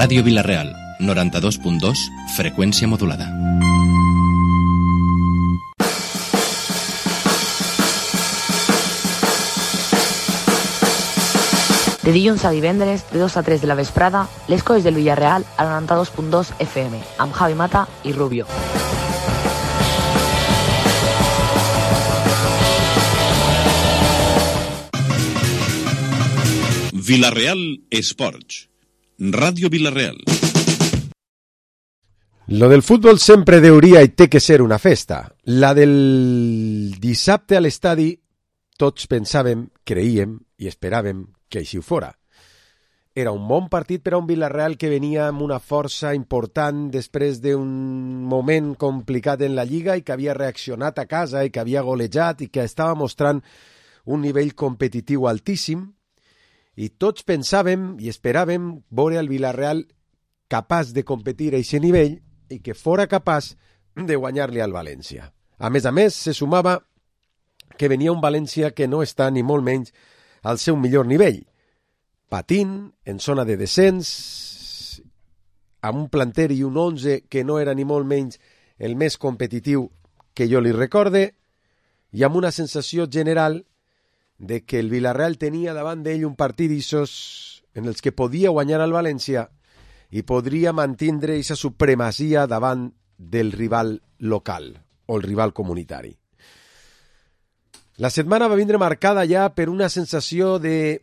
Ràdio Vila-real, 92.2, freqüència modulada. De dilluns a divendres, de 2 a 3 de la vesprada, les coses del Villarreal al 92.2 FM, amb Javi Mata i Rubio. Vila-real Esports. Ràdio Vila-real. Lo del futbol sempre deuria i té que ser una festa. La del dissabte a l'estadi, tots pensàvem, creíem i esperàvem que així ho fora. Era un bon partit per a un Villarreal que venia amb una força important després d'un moment complicat en la Lliga i que havia reaccionat a casa i que havia golejat i que estava mostrant un nivell competitiu altíssim. I tots pensàvem i esperàvem veure el Villarreal capaç de competir a aquest nivell i que fora capaç de guanyar-li al València. A més, se sumava que venia un València que no està ni molt menys al seu millor nivell. Patint, en zona de descens, amb un planter i un 11 que no era ni molt menys el més competitiu que jo li recorde, i amb una sensació general de que el Villarreal tenia davant d'ell un partit d'issos en els que podia guanyar al València i podria mantindre aquesta supremacia davant del rival local o el rival comunitari. La setmana va vindre marcada ja per una sensació de,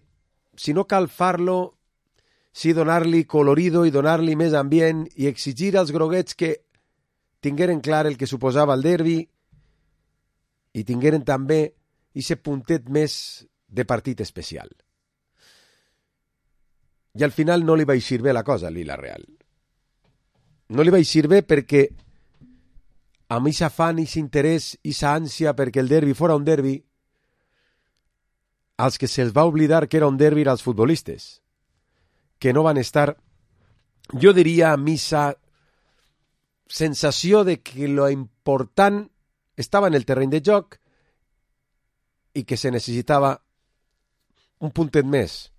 si no cal far-lo, sí donar-li colorido i donar-li més ambient i exigir als groguets que tingueren clar el que suposava el derbi i tingueren també ese puntet més de partit especial. I al final no li va eixir bé la cosa al Villarreal. No li va eixir bé perquè amb aquest afany, aquest interès, aquesta ànsia perquè el derbi fora un derbi, als que se'ls va oblidar que era un derbi als futbolistes, que no van estar, jo diria, amb aquesta sensació de que lo important estava en el terreny de joc i que se necessitava un puntet més.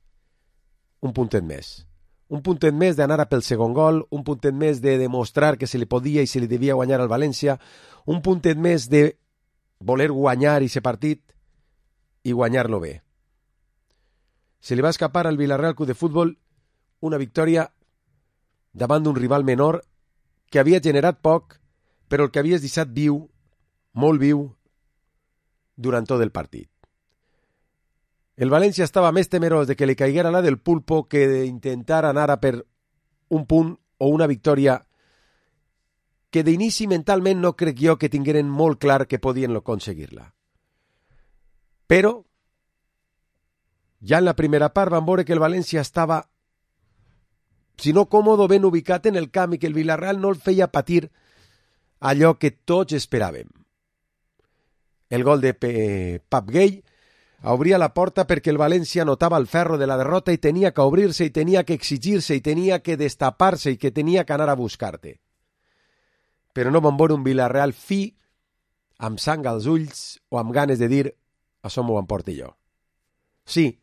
Un puntet més d'anar a pel segon gol, un puntet més de demostrar que se li podia i se li devia guanyar al València, un puntet més de voler guanyar aquest partit i guanyar-lo bé. Se li va escapar al Villarreal Club de Futbol una victòria davant d'un rival menor que havia generat poc, però el que havies deixat viu, molt viu, durant tot el partit. El València estava més temerós de que li caiguera la del pulpo que d'intentar anar a per un punt o una victòria que d'inici mentalment no crec jo que tingueren molt clar que podien aconseguir-la. Però ja en la primera part van veure que el València estava, si no còmodo, ben ubicat en el camp i que el Villarreal no el feia patir allò que tots esperàvem. El gol de Pep Gay obria la porta perquè el València notava el ferro de la derrota i tenia que obrir-se i tenia que exigir-se i tenia que destapar-se i que tenia que anar a buscar-te. Però no van veure un Villarreal fi, amb sang als ulls o amb ganes de dir això m'ho emporte jo. Sí,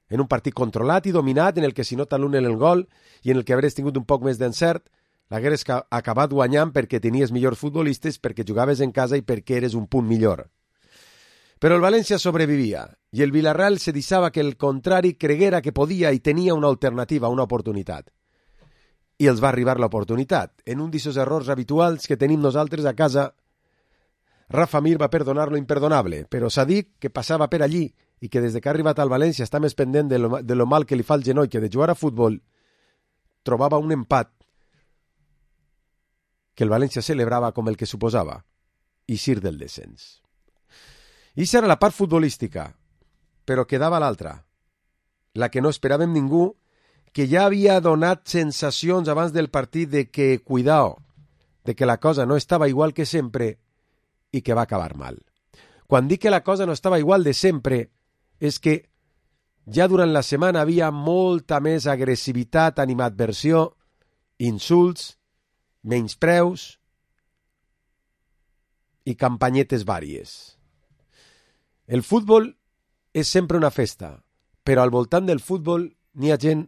en un partit controlat i dominat en el que si nota l'un en el gol i en el que hagués tingut un poc més d'encert, l'hagués acabat guanyant perquè tenies millors futbolistes, perquè jugaves en casa i perquè eres un punt millor. Però el València sobrevivia i el Villarreal se deixava que el contrari creguera que podia i tenia una alternativa, una oportunitat. I els va arribar l'oportunitat. En un d'aquests errors habituals que tenim nosaltres a casa, Rafa Mir va perdonar lo imperdonable, però Sadik, que passava per allí i que des que ha arribat al València està més pendent de lo mal que li fa el genoll que de jugar a futbol, trobava un empat que el València celebrava com el que suposava, eixir del descens. I això era la part futbolística, però quedava l'altra, la que no esperàvem ningú, que ja havia donat sensacions abans del partit de que, cuidao, de que la cosa no estava igual que sempre i que va acabar mal. Quan dic que la cosa no estava igual de sempre, és que ja durant la setmana havia molta més agressivitat, animadversió, insults, menyspreus i campanyetes vàries. El futbol és sempre una festa, però al voltant del futbol n'hi ha gent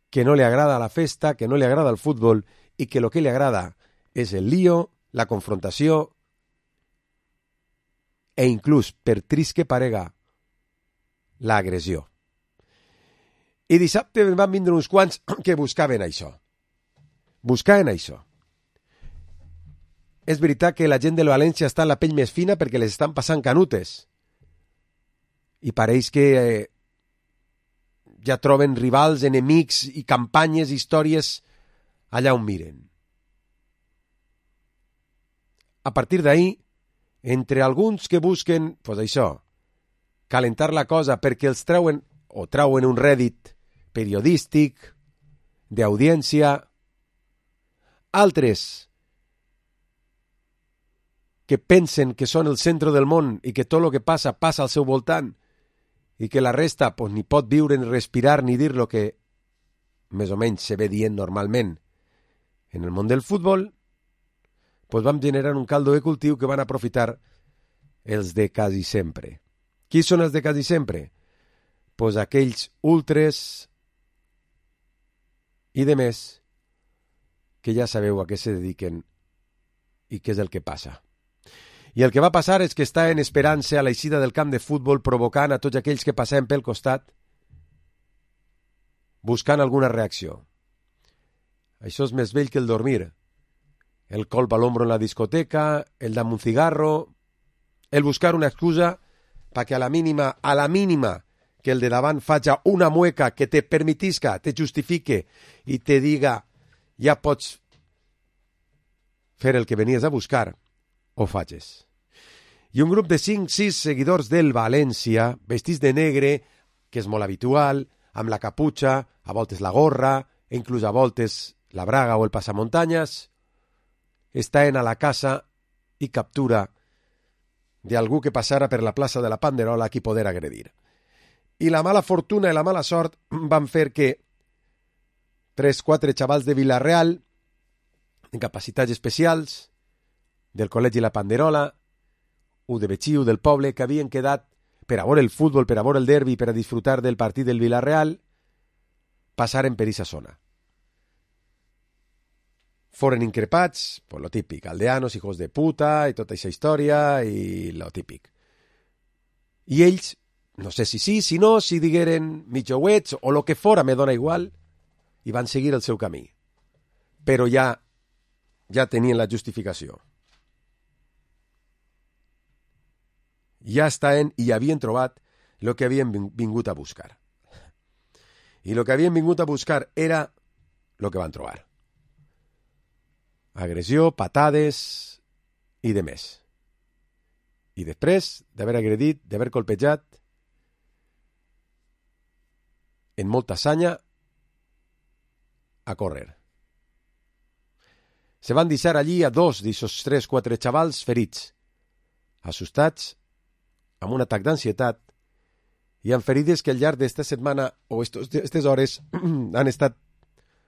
que no li agrada la festa, que no li agrada el futbol i que el que li agrada és el lío, la confrontació e inclús, per trist que parega, l'agressió. I dissabte van vindre uns quants que buscaven això. Buscaven això. És veritat que la gent del València està en la pell més fina perquè les estan passant canutes. I pareix que ja troben rivals, enemics i campanyes, històries allà on miren. A partir d'ahir, entre alguns que busquen, pues això, calentar la cosa perquè els trauen un rèdit periodístic, d'audiència, altres que pensen que són el centre del món i que tot el que passa al seu voltant i que la resta pues, ni pot viure, ni respirar, ni dir lo que més o menys se ve dient normalment en el món del futbol, pues vam generar un caldo de cultiu que van aprofitar els de quasi sempre. Qui són els de quasi sempre? Pues aquells ultres i de més que ja sabeu a què se dediquen i què és el que passa. I el que va passar és que està en esperança a l'eixida del camp de futbol provocant a tots aquells que passem pel costat buscant alguna reacció. Això és més vell que el dormir. El colp a l'ombro en la discoteca, el dame un cigarro, el buscar una excusa perquè a la mínima que el de davant faci una mueca que te permetisca, te justifique i te diga ja pots fer el que venies a buscar, ho facis. I un grup de 5-6 seguidors del València, vestits de negre, que és molt habitual, amb la caputxa, a voltes la gorra, inclús a voltes la braga o el passamuntanyes, estaven a la casa i captura d'algú que passara per la plaça de la Panderola a qui poder agredir. I la mala fortuna i la mala sort van fer que 3-4 xavals de Vila-real, en capacitats especials, del Col·legi La Panderola, u de Betxiu del poble, que havien quedat per a veure el futbol, per a veure el derbi, per a disfrutar del partit del Vila-real, passaren per aquesta zona. Foren increpats, pues lo típic, aldeanos, hijos de puta, i tota aquesta història, i lo típic. I ells, no sé si sí, si no, si digueren mitjouets o lo que fora, me dona igual, i van seguir el seu camí. Però ja tenien la justificació. Ja estaven i havien trobat el que havien vingut a buscar. I el que havien vingut a buscar era el que van trobar. Agressió, patades i de més. I després d'haver agredit, d'haver colpejat, en molta sanya, a córrer. Se van deixar allí a 2 d'aquests 3-4 xavals ferits, assustats, amb un atac d'ansietat, i amb ferides que al llarg d'esta setmana o aquestes hores han estat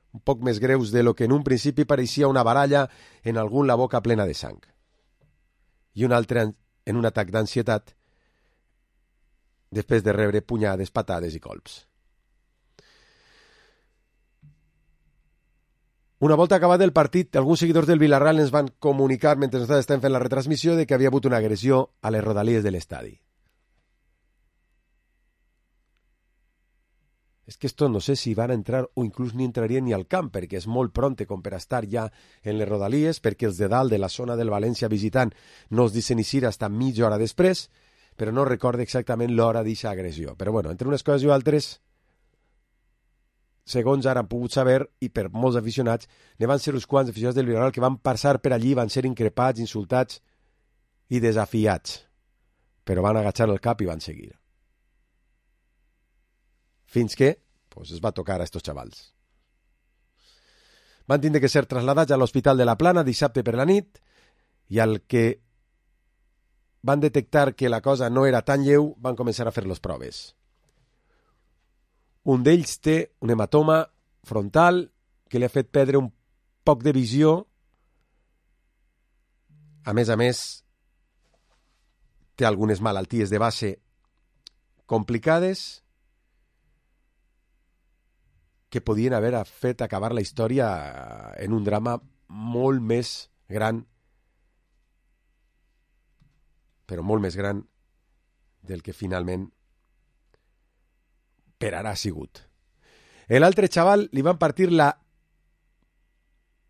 un poc més greus de lo que en un principi pareixia una baralla en algun la boca plena de sang. I un altre en un atac d'ansietat després de rebre punyades, patades i colps. Una volta acabat el partit, alguns seguidors del Villarreal ens van comunicar mentre nosaltres estàvem fent la retransmissió de que havia hagut una agressió a les rodalies de l'estadi. És que esto no sé si van a entrar o inclús ni entrarien ni al camp, perquè és molt pronte com per estar ja en les rodalies, perquè els de dalt de la zona del València visitant no es deixen eixir fins mitja hora després, però no recordo exactament l'hora d'aquesta agressió. Però bueno, entre unes coses i altres, segons ara han pogut saber, i per molts aficionats, ne van ser uns quants aficionats del Villarreal que van passar per allí, van ser increpats, insultats i desafiats, però van agachar el cap i van seguir. Fins que pues, es va tocar a estos xavals. Van tindre que ser trasladats a l'Hospital de la Plana dissabte per la nit i al que van detectar que la cosa no era tan lleu, van començar a fer les proves. Un d'ells té un hematoma frontal que li ha fet perdre un poc de visió. A més, té algunes malalties de base complicades que podien haver fet acabar la història en un drama molt més gran, però molt més gran del que finalment per ara ha sigut. L'altre xaval li van partir la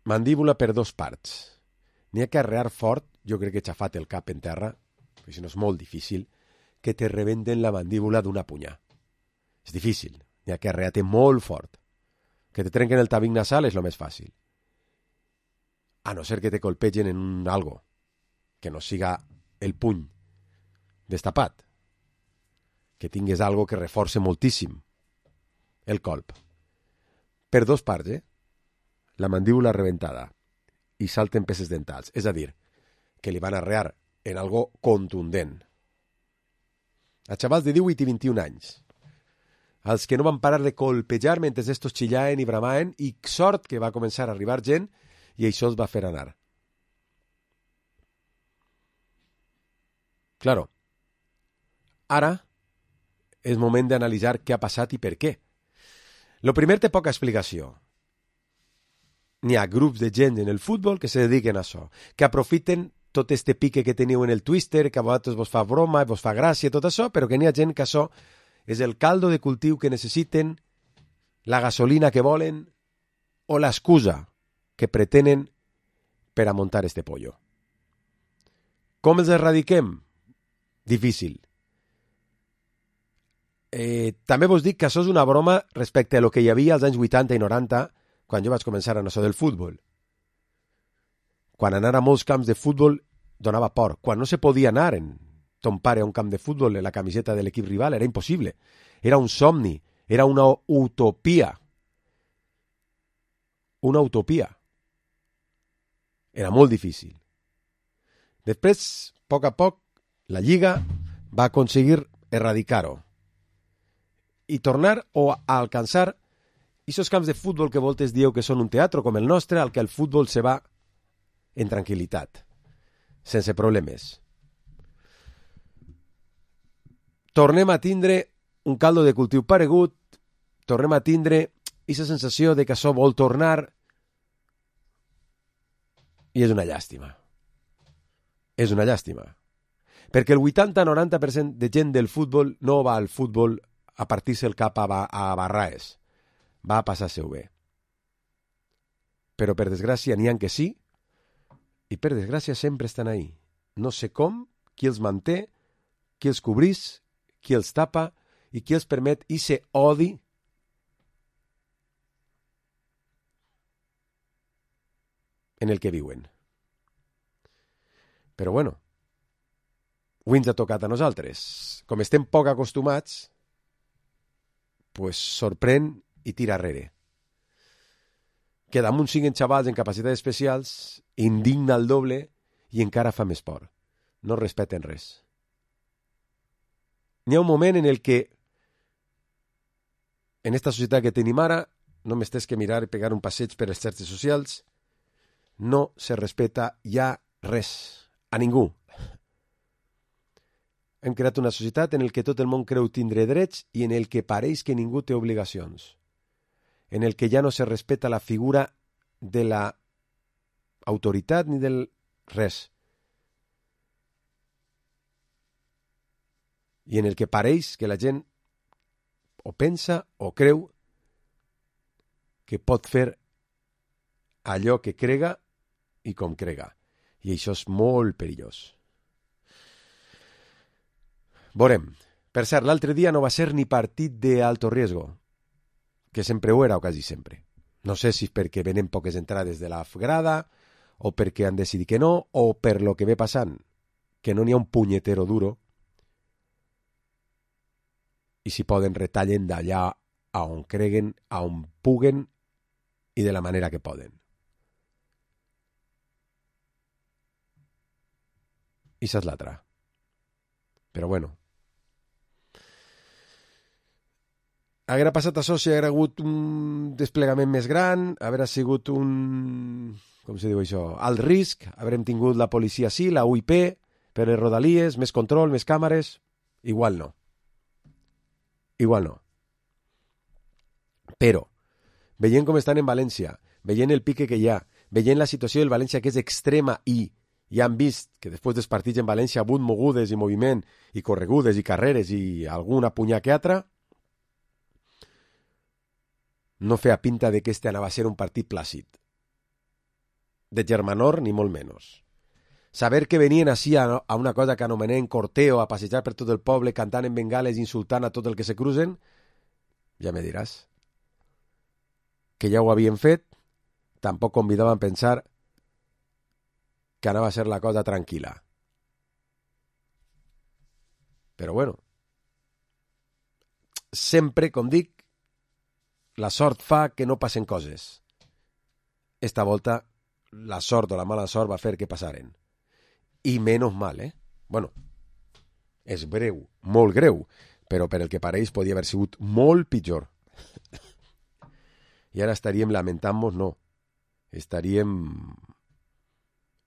mandíbula per 2 parts. N'hi ha que arrear fort, jo crec que he xafat el cap en terra, perquè si no és molt difícil, que te rebenten la mandíbula d'una punyà. És difícil, n'hi ha que arrear-te molt fort. Que te trenquen el tabic nasal és el més fàcil. A no ser que te colpegen en un algo, que no siga el puny destapat, que tingues algo que reforce moltíssim el colp. Per 2 parts, la mandíbula rebentada i salten peces dentals. És a dir, que li van arrear en algo contundent. A xavals de 18 i 21 anys, els que no van parar de colpejar mentre estos xillaven i bramaven, i sort que va començar a arribar gent i això els va fer anar. Claro, ara és moment d'analitzar què ha passat i per què. Lo primer té poca explicació. N'hi ha grups de gent en el futbol que se dediquen a això, que aprofiten tot este pique que teniu en el Twitter, que a vosaltres vos fa broma, vos fa gràcia, tot això, però que n'hi ha gent que això és el caldo de cultiu que necessiten, la gasolina que volen o l'excusa que pretenen per a muntar este pollo. Com els erradiquem? Difícil. També vos dic que això és una broma respecte a lo que hi havia als anys 80 i 90 quan jo vaig començar en això del futbol. Quan anar a molts camps de futbol donava por. Quan no se podia anar en ton pare a un camp de futbol en la camiseta de l'equip rival era impossible. Era un somni, era una utopia. Una utopia. Era molt difícil. Després, a poc, la Lliga va aconseguir erradicar-ho i tornar o a alcançar aquests camps de futbol que voltes dieu que són un teatre com el nostre, al que el futbol se va en tranquil·litat, sense problemes. Tornem a tindre un caldo de cultiu paregut, tornem a tindre aquesta sensació de que això vol tornar i és una llàstima. És una llàstima. Perquè el 80-90% de gent del futbol no va al futbol a partir-se el cap a barraes. Va a passar-se-ho bé. Però per desgràcia n'hi ha que sí, i per desgràcia sempre estan ahí. No sé com, qui els manté, qui els cobrís, qui els tapa i qui els permet ese odi en el que viuen. Però bueno, avui ens ha tocat a nosaltres. Com estem poc acostumats, pues sorprèn i tira arrere. Que damunt siguin xavals en capacitats especials, indigna el doble i encara fa més por. No respeten res. N'hi ha un moment en el que en esta societat que tenim ara, només tens que mirar i pegar un passeig per les xarxes socials, no se respeta ja res, a ningú. Hem creat una societat en el que tot el món creu tindre drets i en el que pareix que ningú té obligacions. En el que ja no se respeta la figura de la autoritat ni del res. I en el que pareix que la gent o pensa o creu que pot fer allò que crega i com crega. I això és molt perillós. Veurem. Per cert, l'altre dia no va ser ni partit d'alto riesgo, que sempre ho era o quasi sempre. No sé si és perquè venen poques entrades de la grada, o perquè han decidit que no, o per lo que ve passant, que no n'hi ha un punyetero duro, i si poden retallen d'allà a on creguen, a on puguen i de la manera que poden. I això és l'altra. Però bueno. Haguera passat això si haguera hagut un desplegament més gran, haguera sigut un... com se diu això? Alt risc, haurem tingut la policia sí, la UIP, per les rodalies, més control, més càmeres... Igual no. Igual no. Però, veient com estan en València, veient el pique que hi ha, veient la situació del València que és extrema i ja han vist que després dels partits en València ha hagut mogudes i moviment i corregudes i carreres i alguna punyà que altra, no feia pinta de que este anava a ser un partit plàcid. De germanor, ni molt menys. Saber que venien així a una cosa que anomenem corteo, a passejar per tot el poble, cantant en bengales, insultant a tot el que se cruzen, ja me diràs. Que ja ho havien fet, tampoc convidaven a pensar que anava a ser la cosa tranquil·la. Però bueno, sempre, com dic, la sort fa que no passen coses. Esta volta, la sort o la mala sort va fer que passaren. I menys mal, Bueno, és greu, molt greu, però per el que pareix podia haver sigut molt pitjor. I ara estaríem lamentant-nos, no. Estaríem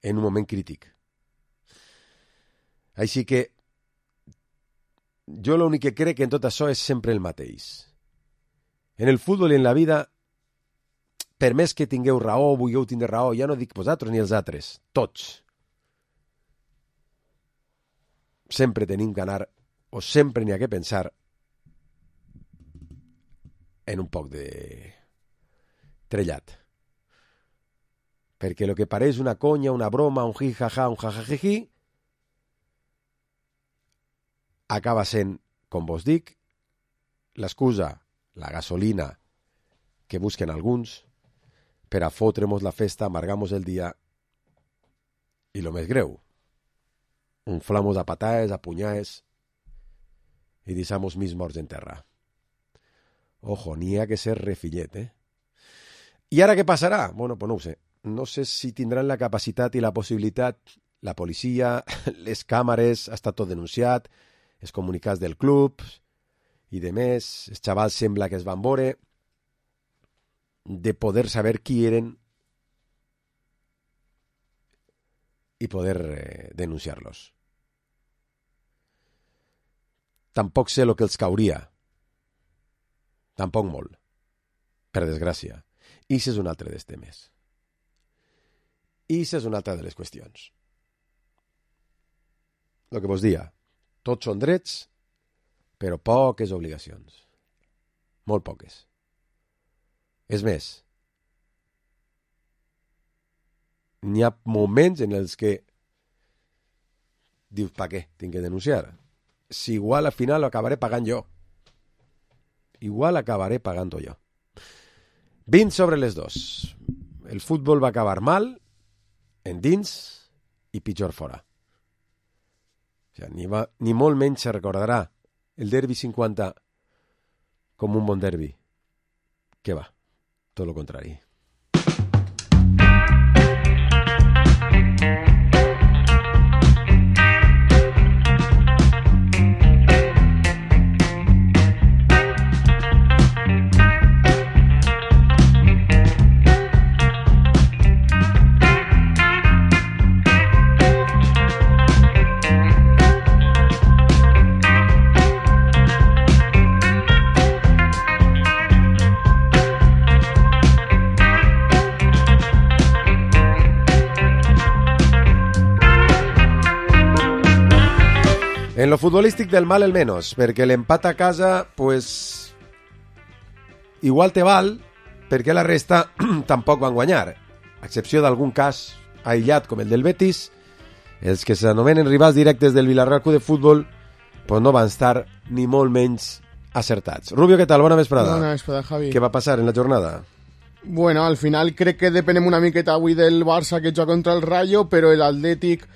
en un moment crític. Així que jo l'únic que crec que en tot això és sempre el mateix. En el futbol i en la vida, per més que tingueu raó, vulgueu tindre raó, ja no dic vosaltres ni els altres, tots. Sempre tenim que anar, o sempre n'hi ha que pensar, en un poc de trellat. Perquè el que pareix una conya, una broma, un jijaja, un jajajiji, acaba sent, com vos dic, l'excusa, la gasolina que busquen alguns per a fotre-mos la festa, amargar-mos el dia i lo més greu, inflamos a pataes, a punyades i deixamos mis morts en terra. Ojo, n'hi ha que ser refillet, I ara què passarà? Bueno, pues no ho sé. No sé si tindran la capacitat i la possibilitat, la policia, les càmeres, ha estat tot denunciat, els comunicats del club i de més, els xavals sembla que es van veure, de poder saber qui eren i poder denunciar-los. Tampoc sé el que els cauria. Tampoc molt. Per desgràcia. I això és un altre dels temes. I això és una altra de les qüestions. El que vos dia, tots són drets, però poques obligacions. Molt poques. És més, n'hi ha moments en els que dius, pa què? Tinc que denunciar. Si igual al final lo acabaré pagant jo. Igual acabaré pagant-ho jo. 20 sobre les 2. El futbol va acabar mal, en dins i pitjor fora. O sigui, ni molt menys se recordarà el derbi 50 com un bon derbi. Què va? Tot lo contrari. En lo futbolístic del mal el menos, perquè l'empat a casa, pues, igual te val, perquè la resta tampoc van guanyar. A excepció d'algun cas aïllat com el del Betis, els que s'anomenen rivals directes del Villarreal Club de Futbol, pues no van estar ni molt menys acertats. Rubio, què tal? Bona vesprada. Bona vesprada, Javi. Què va passar en la jornada? Bueno, al final crec que depenem una miqueta avui del Barça que juga contra el Rayo, però l'Atlètic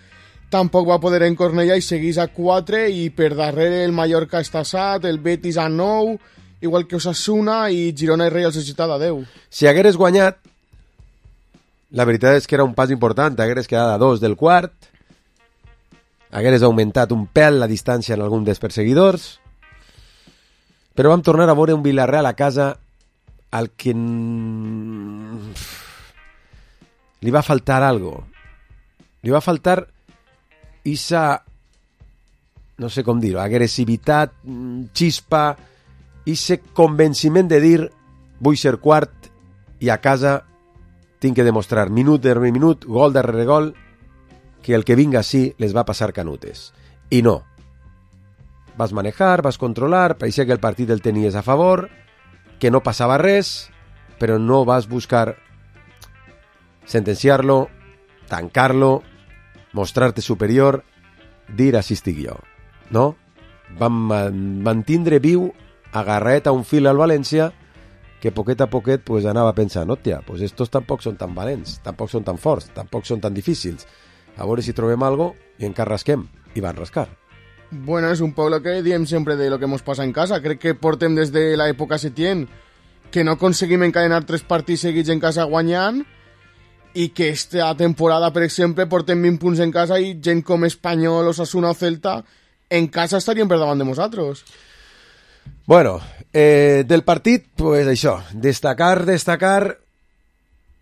tampoc va poder encornellar i segueix a 4 i per darrere el Mallorca està a 7, el Betis a 9, igual que Osasuna i Girona i Real Societat a 10. Si hagueres guanyat, la veritat és que era un pas important, hagueres quedat a 2 del quart, hagueres augmentat un pèl la distància en algun dels perseguidors, però vam tornar a veure un Villarreal a casa al que li va faltar algo. Li va faltar esa, no sé com dir-ho, agressivitat, xispa, ese convenciment de dir vull ser quart i a casa tinc que demostrar minut darrere minut, gol darrere gol, que el que vinga així les va passar canutes. I no. Vas manejar, vas controlar, pareixia que el partit el tenies a favor, que no passava res, però no vas buscar sentenciar-lo, tancar-lo, mostrar-te superior, dir així estic jo. No? Vam mantindre viu, agarrat a un fil al València, que poquet a poquet pues, anava pensant, hòstia, pues estos tampoc són tan valents, tampoc són tan forts, tampoc són tan difícils. A veure si trobem algo i encara rasquem. I van rascar. Bueno, es un poco lo que diem sempre de lo que hemos pasado en casa. Crec que portem des de l'època Setién que no aconseguim encadenar 3 partits seguits en casa guanyant i que esta temporada, per exemple, portem 20 punts en casa i gent com Espanyol, Osasuna o Celta en casa estarien per davant de nosaltres. Bueno, del partit, pues això, destacar,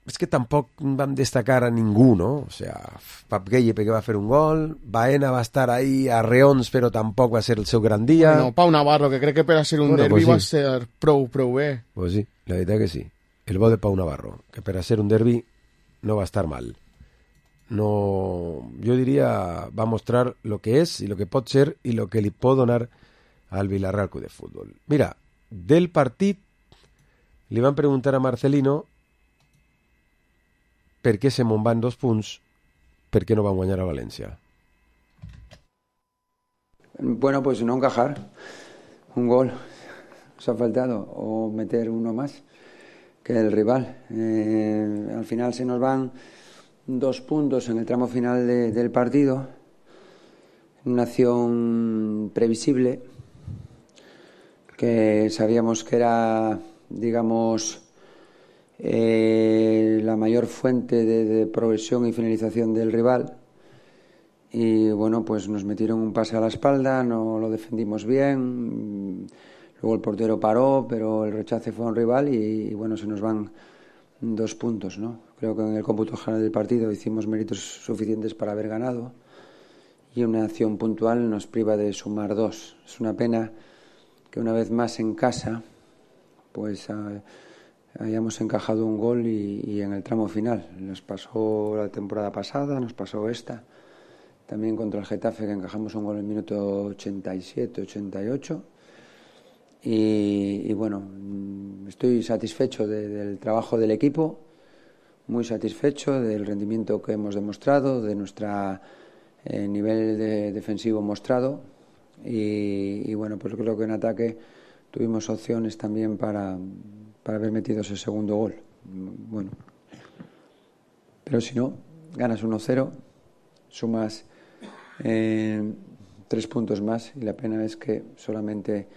és que tampoc vam destacar a ningú, no? O sea, Pap Gueye perquè va fer un gol, Baena va estar ahí a reons, però tampoc va ser el seu gran dia. Bueno, Pau Navarro, que crec que per a ser un derbi pues sí. Va ser prou bé. Pues sí, la veritat que sí. El bo de Pau Navarro, que per a ser un derbi no va estar mal. No, jo diria, va mostrar lo que és i lo que pot ser i lo que li pot donar al Villarreal Club de Fútbol. Mira, del partit li van preguntar a Marcelino per què se me'n van 2 punts, per què no van guanyar a València. Bueno, pues no encajar. Un gol nos ha faltado, o meter uno más que el rival. Al final se nos van 2 puntos en el tramo final del partido. Una acción previsible, que sabíamos que era, digamos, la mayor fuente de progresión y finalización del rival. Y bueno, pues nos metieron un pase a la espalda, no lo defendimos bien, luego el portero paró, pero el rechace fue a un rival y bueno, se nos van 2 puntos, ¿no? Creo que en el cómputo general del partido hicimos méritos suficientes para haber ganado y una acción puntual nos priva de sumar 2. Es una pena que una vez más en casa pues hayamos encajado un gol y en el tramo final. Nos pasó la temporada pasada, nos pasó esta. También contra el Getafe, que encajamos un gol en el minuto 87, 88. Y bueno, estoy satisfecho del trabajo del equipo, muy satisfecho del rendimiento que hemos demostrado, de nuestro nivel defensivo mostrado. Y bueno, pues creo que en ataque tuvimos opciones también para haber metido ese segundo gol. Bueno, pero si no, ganas 1-0, sumas 3 puntos más y la pena es que solamente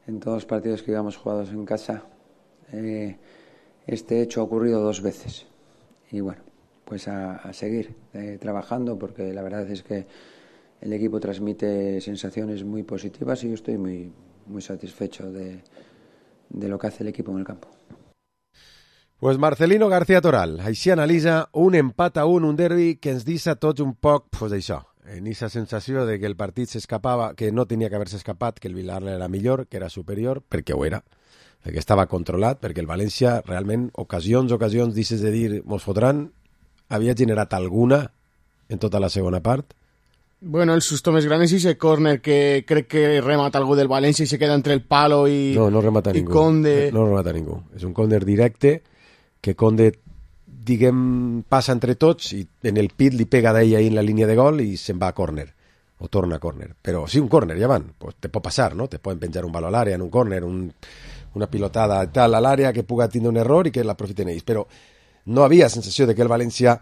en todos los partidos que íbamos jugados en casa este hecho ha ocurrido 2 veces. Y bueno, pues a seguir trabajando, porque la verdad es que el equipo transmite sensaciones muy positivas y yo estoy muy, muy satisfecho de lo que hace el equipo en el campo. Pues Marcelino García Toral, així analitza un empat a un derbi que ens deixa tots un poc, pues això, en aquesta sensació de que el partit s'escapava, que no tenia que haver-se escapat, que el Villarreal era millor, que era superior, perquè ho era, perquè estava controlat, perquè el València realment, ocasions, deixes de dir, mos fotran, havia generat alguna en tota la segona part. Bueno, el susto més gran és ese córner que crec que remata algú del València i se queda entre el palo i no remata ningú. Conde. No remata ningú. És un córner directe que Conde, diguem, passa entre tots i en el pit li pega d'ell ahí en la línia de gol i se'n va a córner, o torna a córner. Però sí, un córner, ja van, pues te pot passar, no? Te poden penjar un baló a l'àrea en un córner, una pilotada tal a l'àrea que puga tindre un error i que l'aprofiten ells. Però no havia sensació de que el València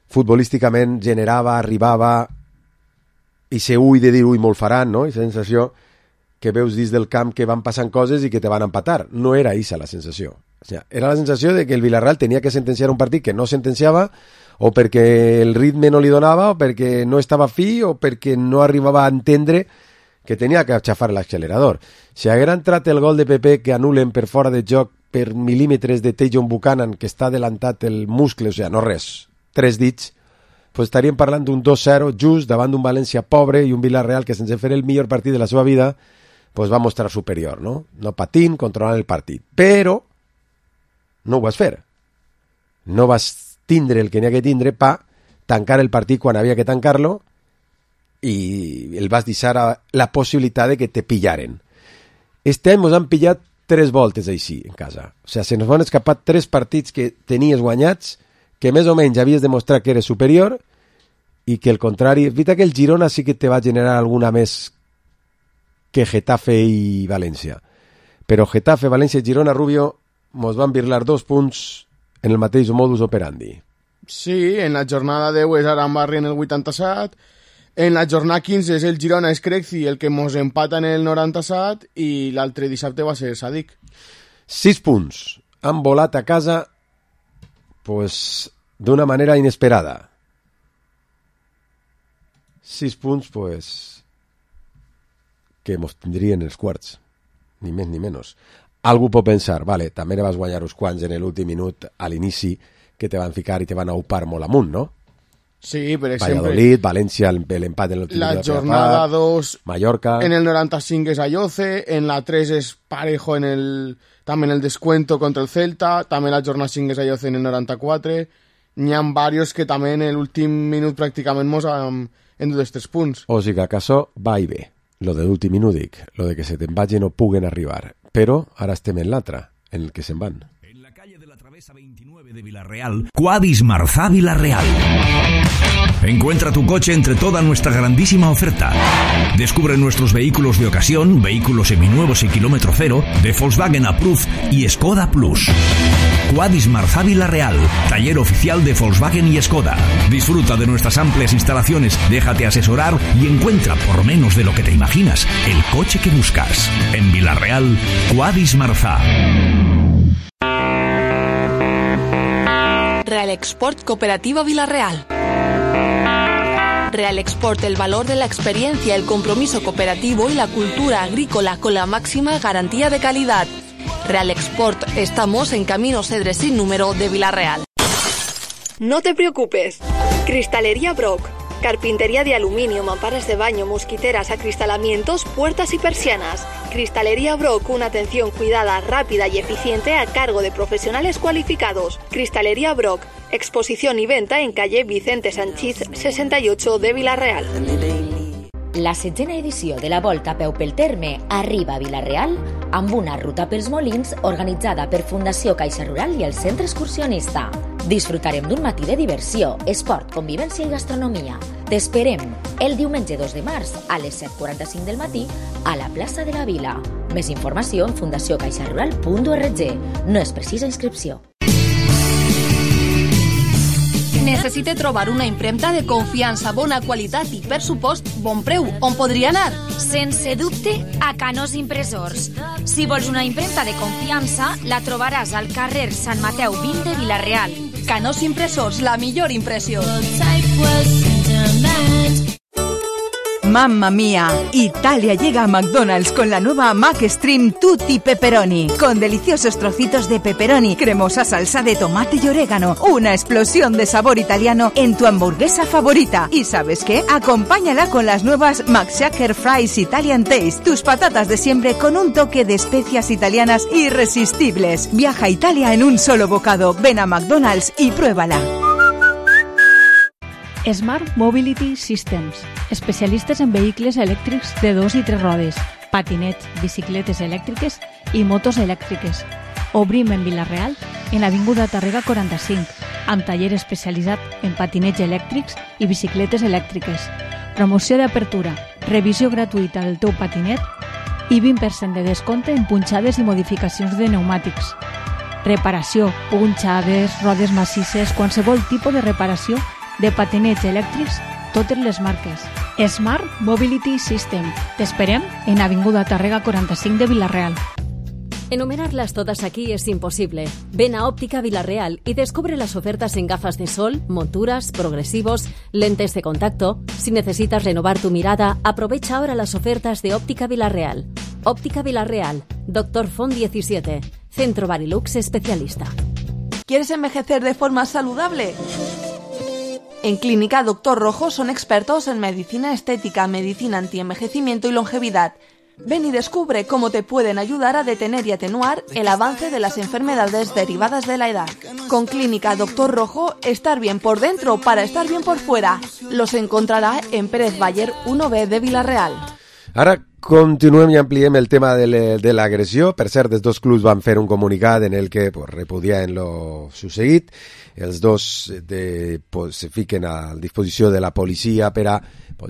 futbolísticament generava, arribava, i se ui de dir, ui, molt faran, no? I la sensació que veus dins del camp que van passant coses i que te van empatar. No era aquesta la sensació. O sigui, era la sensació de que el Villarreal tenia que sentenciar un partit que no sentenciava, o perquè el ritme no li donava, o perquè no estava fi, o perquè no arribava a entendre que tenia que aixafar l'accelerador. Si haguera entrat el gol de Pepe que anulen per fora de joc per mil·límetres de Tejon Buchanan, que està adelantat el muscle, o sigui, no res, 3 dits, pues estaríem parlant d'un 2-0 just davant d'un València pobre i un Villarreal que sense fer el millor partit de la seva vida pues va mostrar superior, no? No patint, controlant el partit. Però no ho vas fer. No vas tindre el que n'hi ha que tindre pa tancar el partit quan havia que tancar-lo i el vas deixar la possibilitat de que te pillaren. Este any ens han pillat 3 voltes així en casa. O sigui, se nos van escapar 3 partits que tenies guanyats, que més o menys havies demostrat que eres superior i que el contrari... És veritat que el Girona sí que te va generar alguna més que Getafe i València. Però Getafe, València i Girona, Rubio, mos van birlar 2 punts en el mateix modus operandi. Sí, en la jornada 10 és Arambarri en el 87, en la jornada 15 és el Girona Escrexi el que mos empata en el 97 i l'altre dissabte va ser Sadik. 6 punts. Han volat a casa pues, d'una manera inesperada. 6 punts, pues, que mos tindrien els quarts. Ni més ni menys. Algú pot pensar, vale, també ne vas guanyar uns quants en l'últim minut a l'inici que te van ficar i te van aupar molt amunt, no? Sí, per exemple... Valladolid, València, l'empat en l'últim minut. La jornada 2... Mallorca... En el 95 és Ayoce, en la 3 és Parejo també en el descuento contra el Celta, també la jornada 5 és Ayoce en el 94, n'hi ha varios que també en l'últim minut pràcticament mos han endut els 3 punts. O sigui que acaso va i ve. Lo de l'últim minut dic, lo de que se te'n vagi no puguen arribar. Però ara estem en l'altra, en el que se'n van. En la calle de la Travesa 29 de Villarreal, Quadis Marzá Villarreal. Encuentra tu coche entre toda nuestra grandísima oferta. Descubre nuestros vehículos de ocasión, vehículos seminuevos y kilómetro cero, de Volkswagen Approved y Skoda Plus. Quadis Marzá Villarreal, taller oficial de Volkswagen y Skoda. Disfruta de nuestras amplias instalaciones, déjate asesorar y encuentra, por menos de lo que te imaginas, el coche que buscas. En Villarreal, Quadis Marzá. Real Export Cooperativa Villarreal. Real Export, el valor de la experiencia, el compromiso cooperativo y la cultura agrícola con la máxima garantía de calidad. Real Export, estamos en Camino Cedres sin número de Villarreal. No te preocupes. Cristalería Brock. Carpintería de aluminio, mamparas de baño, mosquiteras, acristalamientos, puertas y persianas. Cristalería Brock, una atención cuidada, rápida y eficiente a cargo de profesionales cualificados. Cristalería Brock, exposición y venta en calle Vicente Sanchís 68 de Villarreal. La 7ª edició de la Volta a peu pel terme arriba a Villarreal amb una ruta pels Molins organitzada per Fundació Caixa Rural i el Centre Excursionista. Disfrutarem d'un matí de diversió, esport, convivència i gastronomia. T'esperem el diumenge 2 de març a les 7:45 del matí a la plaça de la Vila. Més informació en fundaciocaixarural.org. No és precisa inscripció. Necessite trobar una impremta de confiança, bona qualitat i, per supost, bon preu. On podria anar? Sense dubte, a Canós Impressors. Si vols una impremta de confiança, la trobaràs al carrer Sant Mateu 20 de Villarreal. Canós Impressors, la millor impressió. Mamma mía, Italia llega a McDonald's con la nueva McStream Tutti Pepperoni, con deliciosos trocitos de pepperoni, cremosa salsa de tomate y orégano, una explosión de sabor italiano en tu hamburguesa favorita. ¿Y sabes qué? Acompáñala con las nuevas McShaker Fries Italian Taste, tus patatas de siempre con un toque de especias italianas irresistibles. Viaja a Italia en un solo bocado. Ven a McDonald's y pruébala. Smart Mobility Systems, especialistes en vehicles elèctrics de 2 i 3 rodes, patinets, bicicletes elèctriques i motos elèctriques. Obrim en Villarreal, en l'avinguda Tàrrega 45, amb taller especialitzat en patinets elèctrics i bicicletes elèctriques. Promoció d'apertura, revisió gratuïta del teu patinet i 20% de descompte en punxades i modificacions de pneumàtics. Reparació, punxades, rodes massisses, qualsevol tipus de reparació de patinets elèctrics, totes les marques. Smart Mobility System. T'esperem en Avinguda Tàrrega 45 de Villarreal. Enumerarlas todas aquí es imposible. Ven a Óptica Villarreal y descubre las ofertas en gafas de sol, monturas, progresivos, lentes de contacto. Si necesitas renovar tu mirada, aprovecha ahora las ofertas de Óptica Villarreal. Óptica Villarreal, Dr. Font 17, Centro Barilux Especialista. ¿Quieres envejecer de forma saludable? En Clínica Dr. Rojo son expertos en medicina estética, medicina antienvejecimiento y longevidad. Ven y descubre cómo te pueden ayudar a detener y atenuar el avance de las enfermedades derivadas de la edad. Con Clínica Doctor Rojo, estar bien por dentro para estar bien por fuera. Los encontrarà en Pérez Bayer 1B de Vila-real. Ara continuem i ampliem el tema de l'agressió. Per cert, els dos clubs van fer un comunicat en el que repudiaven lo succeït. Els dos se fiquen a disposició de la policia per a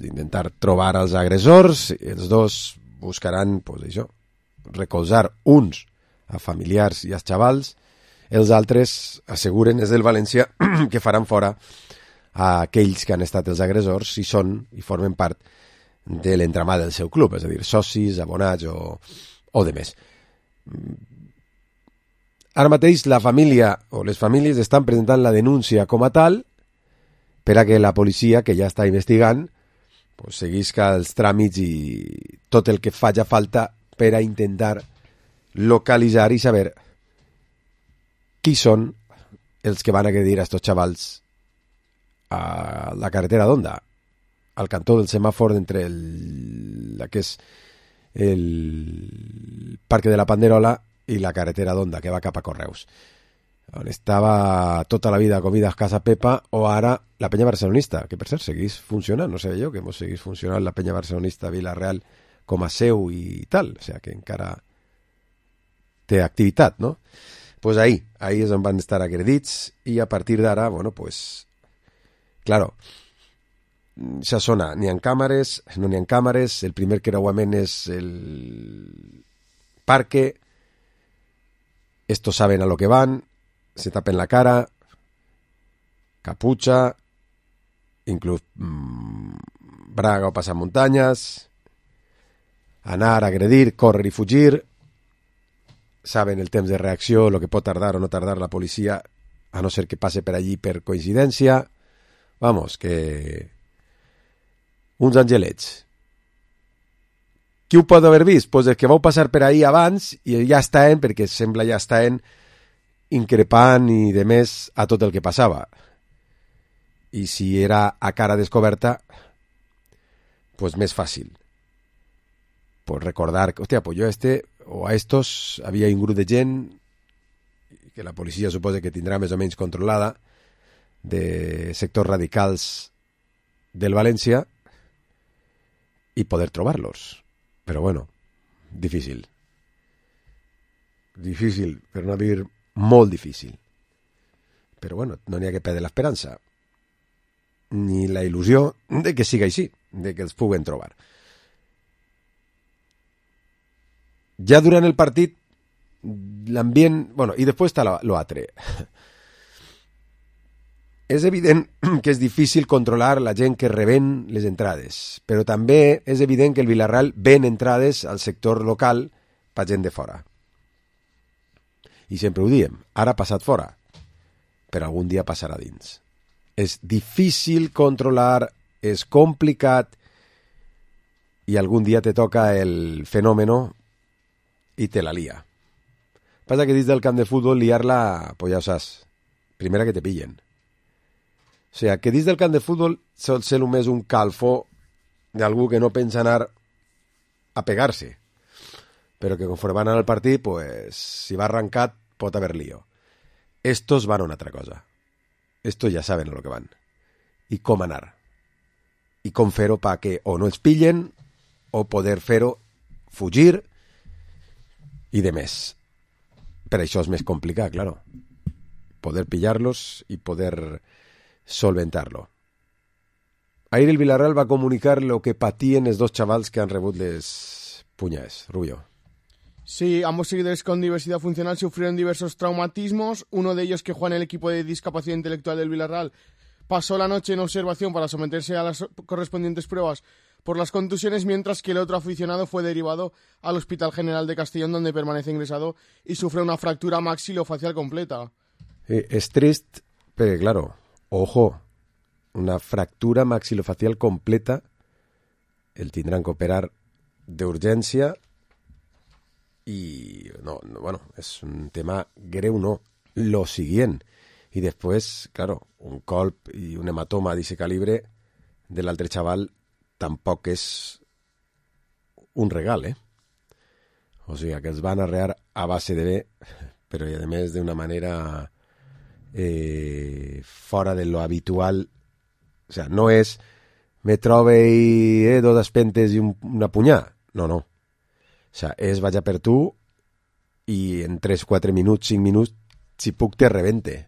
intentar trobar els agressors. Els dos buscaran això, recolzar uns a familiars i als xavals. Els altres asseguren, és del València, que faran fora a aquells que han estat els agressors i formen part de l'entramat del seu club, és a dir, socis, abonats o de més. Ara mateix la família o les famílies estan presentant la denúncia com a tal per a que la policia, que ja està investigant, seguisca els tràmits i tot el que faci falta per a intentar localitzar i saber qui són els que van agredir a estos xavals a la carretera d'Onda, al cantó del semàfor entre la que és el Parque de la Panderola i la carretera d'Onda, que va cap a Correus, on estava tota la vida Comidas Casa Pepa, o ara la penya barcelonista, que per cert seguís funcionant, no sé jo, que mos seguís funcionant la penya barcelonista Vila-real com a seu i tal, o sigui que encara té activitat, no? Pues ahí és on van estar agredits i a partir d'ara, claro, esa zona n'hi ha càmeres, no n'hi ha càmeres, el primer creuament és el parque, estos saben a lo que van, se tapen la cara, capucha, inclús braga o pasamontañas, anar, agredir, córrer i fugir, saben el temps de reacció, lo que pot tardar o no tardar la policia, a no ser que passe per allí per coincidència. Vamos, que uns angelets. Qui ho pot haver vist? Pues el que vau passar per ahí abans i ja estaven, perquè sembla ja estaven increpant i de més a tot el que passava. I si era a cara descoberta, pues més fàcil. Pues recordar que, hòstia, pues jo o a estos havia un grup de gent que la policia suposa que tindrà més o menys controlada, de sectors radicals del València, i poder trobar-los. Però bueno, difícil. Difícil, per no dir molt difícil. Però bueno, no n'hi ha que perdre l'esperança, ni la il·lusió de que siga així, de que els puguen trobar. Ja durant el partit, l'ambient... i després està l'altre. És evident que és difícil controlar la gent que reben les entrades, però també és evident que el Vila-real ven entrades al sector local per gent de fora. I sempre ho diem, ara ha passat fora, però algun dia passarà dins. És difícil controlar, és complicat, i algun dia te toca el fenòmeno i te la lia. Passa que dins del camp de futbol liar-la, pues ja ho saps, primera que te pillen. O sigui, que dins del camp de futbol sol ser només un calfó d'algú que no pensa anar a pegar-se, però que conforme van al partit, pues, si va arrencat, pot haver lío. Estos van a una altra cosa. Estos ja saben a lo que van. I com anar. I com fer-ho perquè o no els pillen, o poder fer-ho fugir, i de més. Per això és més complicat, claro. Poder pillar-los i poder solventar-lo. Ahir el Vila-real va comunicar lo que patien els dos xavals que han rebut les puñas. Rubio. Sí, ambos seguidores con diversidad funcional sufrieron diversos traumatismos. Uno de ellos, que juega en el equipo de discapacidad intelectual del Vila-real, pasó la noche en observación para someterse a las correspondientes pruebas por las contusiones, mientras que el otro aficionado fue derivado al Hospital General de Castellón, donde permanece ingresado y sufre una fractura maxilofacial completa. Es triste, pero claro, ojo, una fractura maxilofacial completa, el tindran que operar d'urgència i bueno, és un tema greu, no, lo siguiente. Y después, claro, un colp y un hematoma de ese calibre del altre chaval tampoc és un regal, O sigui, que els van arrear a base de bé, però i a més d'una manera fora de lo habitual. O sea, no és me trobe i dos espentes i una punyà. No. O sea, és vaig a per tu i en 3, 4 minuts, 5 minuts, si puc te rebente.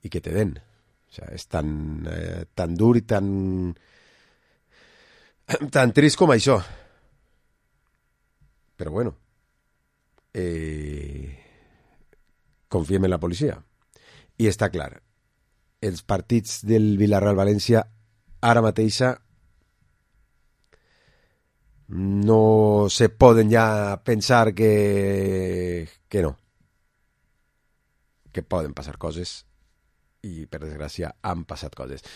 I que te den. O sea, és tan dur i tan trist com això. Però bueno, confiem en la policia. I està clar, els partits del Villarreal-València ara mateixa no se poden ja pensar que no. Que poden passar coses i, per desgràcia, han passat coses.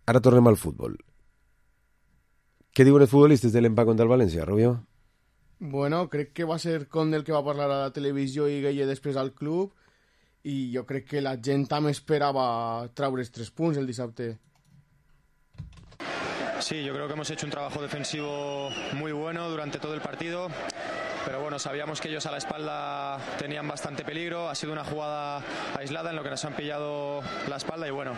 Ara tornem al futbol. Què diuen els futbolistes de l'empat contra el València, Rubio? Bueno, crec que va ser Conde el que va parlar a la televisió i Gueye després al club, i jo crec que la gent també esperava traure's 3 punts el dissabte. Sí, yo creo que hemos hecho un trabajo defensivo muy bueno durante todo el partido, pero bueno, sabíamos que ellos a la espalda tenían bastante peligro. Ha sido una jugada aislada en lo que nos han pillado la espalda y bueno,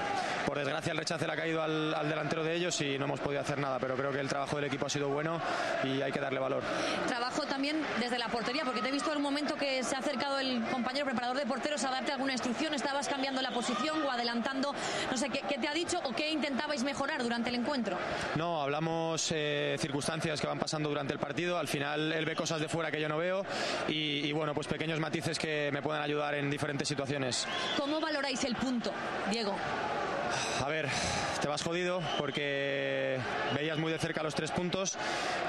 por desgracia el rechace le ha caído al delantero de ellos y no hemos podido hacer nada, pero creo que el trabajo del equipo ha sido bueno y hay que darle valor. Trabajo también desde la portería, porque te he visto en un momento que se ha acercado el compañero preparador de porteros a darte alguna instrucción. ¿Estabas cambiando la posición o adelantando? No sé, ¿qué te ha dicho o qué intentabais mejorar durante el encuentro? No, hablamos circunstancias que van pasando durante el partido. Al final él ve cosas de fuera que yo no veo y bueno, pues pequeños matices que me pueden ayudar en diferentes situaciones. ¿Cómo valoráis el punto, Diego? A ver, te vas jodido porque veías muy de cerca los 3 puntos,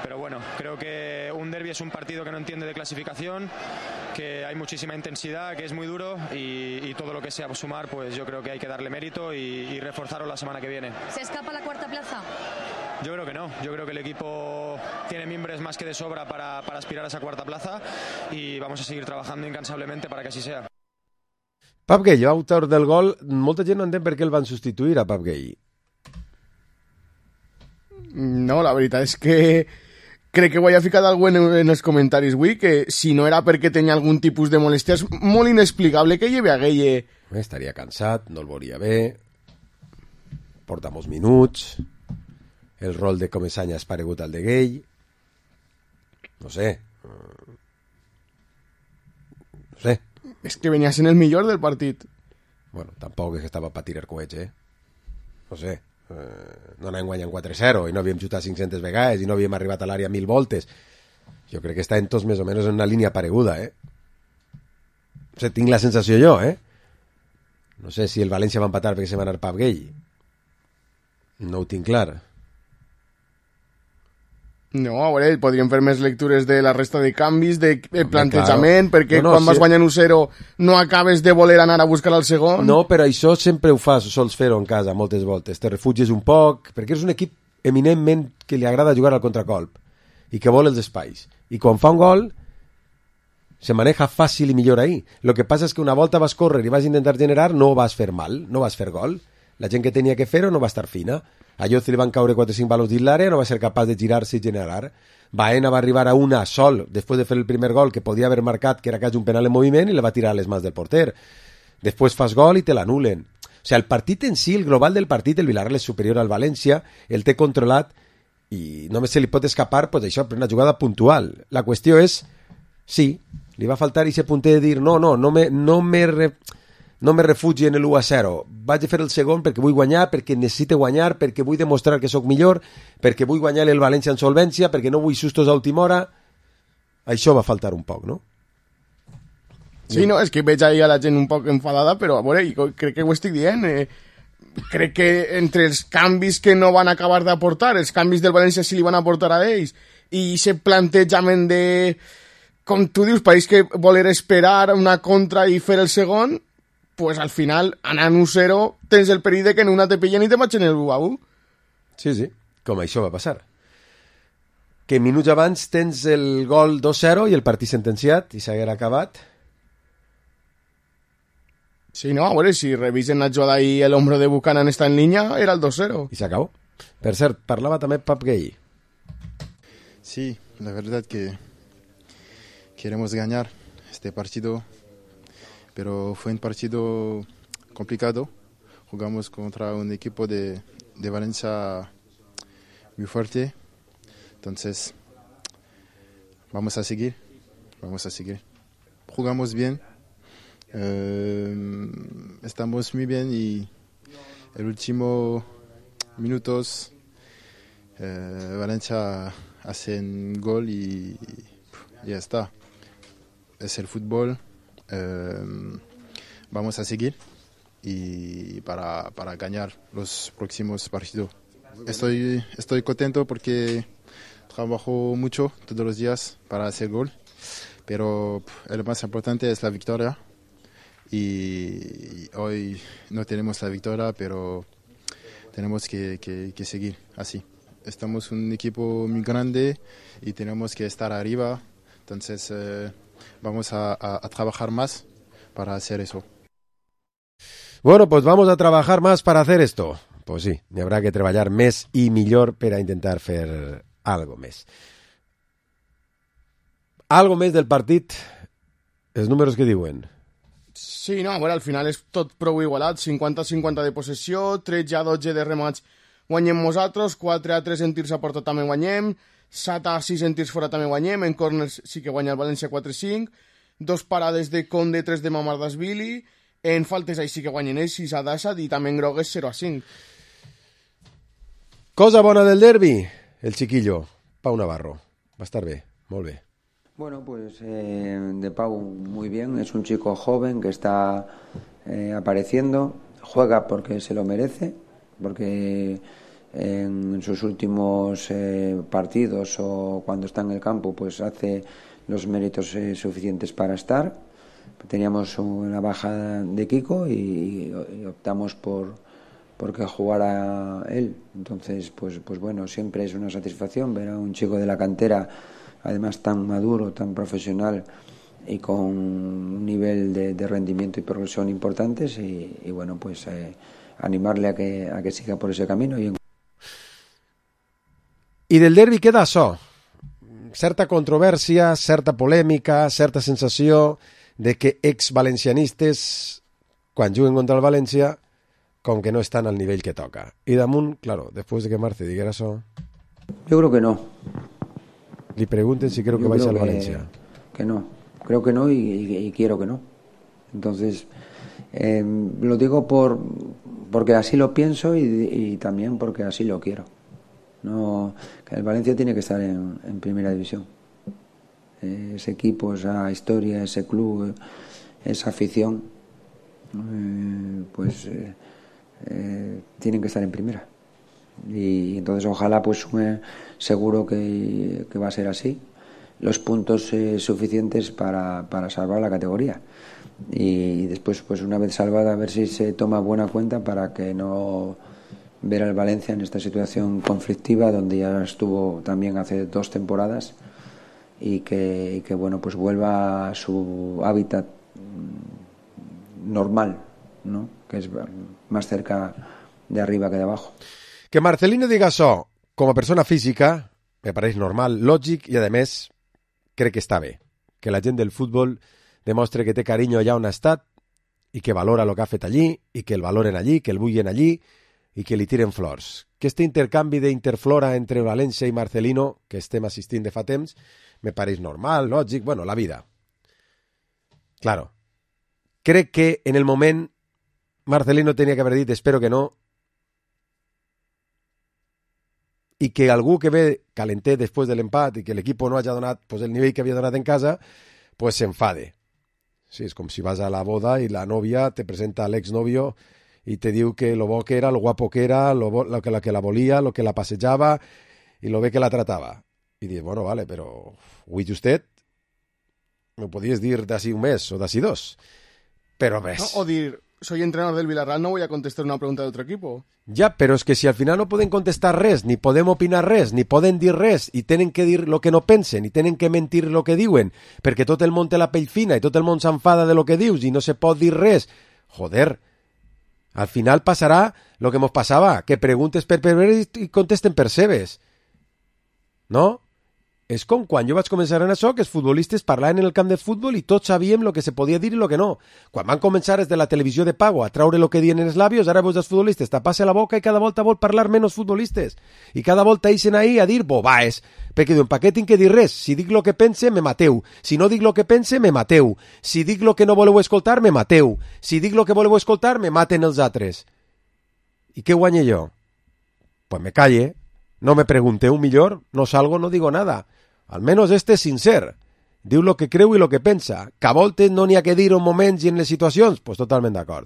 pero bueno, creo que un derbi es un partido que no entiende de clasificación, que hay muchísima intensidad, que es muy duro y todo lo que sea sumar, pues yo creo que hay que darle mérito y reforzarlo la semana que viene. ¿Se escapa la cuarta plaza? Yo creo que no, yo creo que el equipo tiene mimbres más que de sobra para aspirar a esa cuarta plaza y vamos a seguir trabajando incansablemente para que así sea. Pep Gueye, autor del gol, molta gent no entén per què el van substituir a Pep Gueye. No, la veritat és que crec que ho havia ficat algú en els comentaris avui, que si no era perquè tenia algun tipus de molèstia, és molt inexplicable que lleve a Gueye. Estaria cansat, no el veuria bé, porta molts minuts, el rol de Comesanya és paregut al de Gueye, no sé. És que venia sent el millor del partit. Bueno, tampoc és que estava per tirar coets, No sé, no anàvem guanyant 4-0 i no havíem xutat 500 vegades i no havíem arribat a l'àrea 1000 voltes. Jo crec que està en tots més o menys en una línia pareguda, O sigui, tinc la sensació jo, No sé si el València va empatar perquè se va anar Pep Gueye. No ho tinc clar. No, a veure, podríem fer més lectures de la resta de canvis, de plantejament, perquè quan vas guanyant 1-0 no acabes de voler anar a buscar el segon. No, però això sempre ho fas, sols fer-ho en casa moltes voltes, te refugies un poc, perquè és un equip eminentment que li agrada jugar al contracolp i que vol els espais, i quan fa un gol se maneja fàcil i millor ahí. Lo que passa és que una volta vas córrer i vas intentar generar, no vas fer mal, no vas fer gol, la gent que tenia que fer-ho no va estar fina. A Lloz li van caure 4 o 5 balons dins l'àrea, no va ser capaç de girar-se i generar. Baena va arribar a una sol, després de fer el primer gol, que podia haver marcat, que era quasi un penal en moviment, i la va tirar a les mans del porter. Després fas gol i te l'anulen. O sigui, el partit en si, el global del partit, el Villarreal és superior al València, el té controlat, i només se li pot escapar, pues això, per una jugada puntual. La qüestió és, sí, li va faltar i se punter de dir, no me refugi en l'1-0, vaig a fer el segon perquè vull guanyar, perquè necessite guanyar, perquè vull demostrar que sóc millor, perquè vull guanyar el València en solvència, perquè no vull sustos a última hora. Això va faltar un poc, no? Sí, no, és que veig ahí a la gent un poc enfadada, però a veure, crec que ho estic dient. Crec que entre els canvis que no van acabar d'aportar, els canvis del València sí li van aportar a ells, i aquest plantejament de, com tu dius, pareix que voler esperar una contra i fer el segon, pues al final, anant 1-0, tens el perill de que en una te pillen i te matxen el 1-1. Sí, com això va passar. Que minuts abans tens el gol 2-0 i el partit sentenciat i s'haguera acabat. Sí, no, a veure, si revisen la jugada i l'ombro de Buchanan està en línia, era el 2-0. I s'acabó. Per cert, parlava també Pep Gueye. Sí, la verdad que queremos ganar este partido, pero fue un partido complicado. Jugamos contra un equipo de Valencia muy fuerte, entonces vamos a seguir. Jugamos bien, estamos muy bien y el último minutos Valencia hace un gol y ya está. Es el fútbol, vamos a seguir y para ganar los próximos partidos. Estoy contento porque trabajo mucho todos los días para hacer gol, pero lo más importante es la victoria y hoy no tenemos la victoria, pero tenemos que seguir así. Estamos un equipo muy grande y tenemos que estar arriba, entonces vamos a trabajar más para hacer eso. Bueno, pues vamos a trabajar más para hacer esto. Pues sí, hi haurà que treballar més i millor per a intentar fer algo més. Algo més del partit, els números que diuen. Sí, no, a veure, al final és tot prou igualat, 50-50 de possessió, 13-12 de remats guanyem nosaltres, 4-3 en tirs a porta també guanyem, 7-6 en tirs fora també guanyem, en corners sí que guanya el València 4-5, 2 parades de Conde, 3 de Mamardashvili, en faltes ahí sí que guanyen ells 6-17 i també en grogues 0-5. Cosa bona del derbi, el chiquillo, Pau Navarro. Va a estar bien, muy bien. Bueno, pues de Pau muy bien, es un chico joven que está apareciendo, juega porque se lo merece, porque en sus últimos partidos o cuando está en el campo pues hace los méritos suficientes para estar. Teníamos una baja de Kiko y optamos porque jugara él. Entonces, pues bueno, siempre es una satisfacción ver a un chico de la cantera, además tan maduro, tan profesional y con un nivel de rendimiento y progresión importantes y bueno, pues animarle a que siga por ese camino. I del derbi queda això, certa controvèrsia, certa polèmica, certa sensació de que ex-valencianistes, quan juguen contra el València, com que no están al nivell que toca. Y damunt, claro, después de que Marce dijera eso... Yo creo que no. Le pregunten si creo que vais al Valencia. Que no, creo que no y quiero que no. Entonces, lo digo porque así lo pienso y también porque así lo quiero. No, que el Valencia tiene que estar en primera división. Ese equipo, esa historia, ese club, esa afición, tienen que estar en primera. Y entonces ojalá, pues seguro que va a ser así, los puntos suficientes para salvar la categoría. Y después, pues una vez salvada, a ver si se toma buena cuenta para que no ver al Valencia en esta situación conflictiva donde ya estuvo también hace 2 temporadas y que bueno, pues vuelva a su hábitat normal, ¿no? Que es más cerca de arriba que de abajo. Que Marcelino diga això com a persona física me pareix normal, lògic i, a més, crec que està bé. Que la gent del futbol demostre que té carinyo allà on ha estat i que valora el que ha fet allí i que el valoren allí, que el vulguin allí i que li tiren flors. Que este intercanvi d'interflora entre València i Marcelino, que estem assistint de fa temps, me pareix normal, lògic, bueno, la vida. Claro. Crec que en el moment Marcelino tenia que haver dit espero que no, i que algú que ve calentet després de l'empat i que l'equip no hagi donat pues, el nivell que havia donat en casa, pues s'enfade. Sí, és com si vas a la boda i la nòvia te presenta a l'exnovio i te diu que lo bo que era, lo guapo que era, lo que la volia, lo que la passejava i lo bé que la tratava. I dius, bueno, vale, però avui justet m'ho podies dir d'ací un mes o d'ací 2. Però ves... No, o dir, soy entrenador del Villarreal, no voy a contestar una pregunta de otro equipo. Ja, però és que si al final no poden contestar res, ni podem opinar res, ni poden dir res, i tenen que dir lo que no pensen, i tenen que mentir lo que diuen, perquè tot el món té la pell fina i tot el món s'enfada de lo que dius i no se pot dir res. Joder, al final passarà lo que mos passava, que preguntes per veure i contesten per seves. No? És com quan jo vaig començar en això, que els futbolistes parlaven en el camp de futbol i tots sabíem el que se podia dir i el que no. Quan van començar des de la televisió de pago a traure el que diuen en els labios, ara veus els futbolistes tapar-se la boca i cada volta vol parlar menys futbolistes. I cada volta eixen ahí a dir bobaes, perquè diuen, per què tinc que dir res? Si dic el que pense, me mateu. Si no dic el que pense, me mateu. Si dic el que no voleu escoltar, me mateu. Si dic el que voleu escoltar, me maten els altres. I què guanye jo? Pues me calle, no me pregunteu millor, no salgo, no digo nada. Al menos este és sincer. Diu lo que creu i lo que pensa. Que a voltes no n'hi ha que dir en moments i en les situacions, pues totalment d'acord.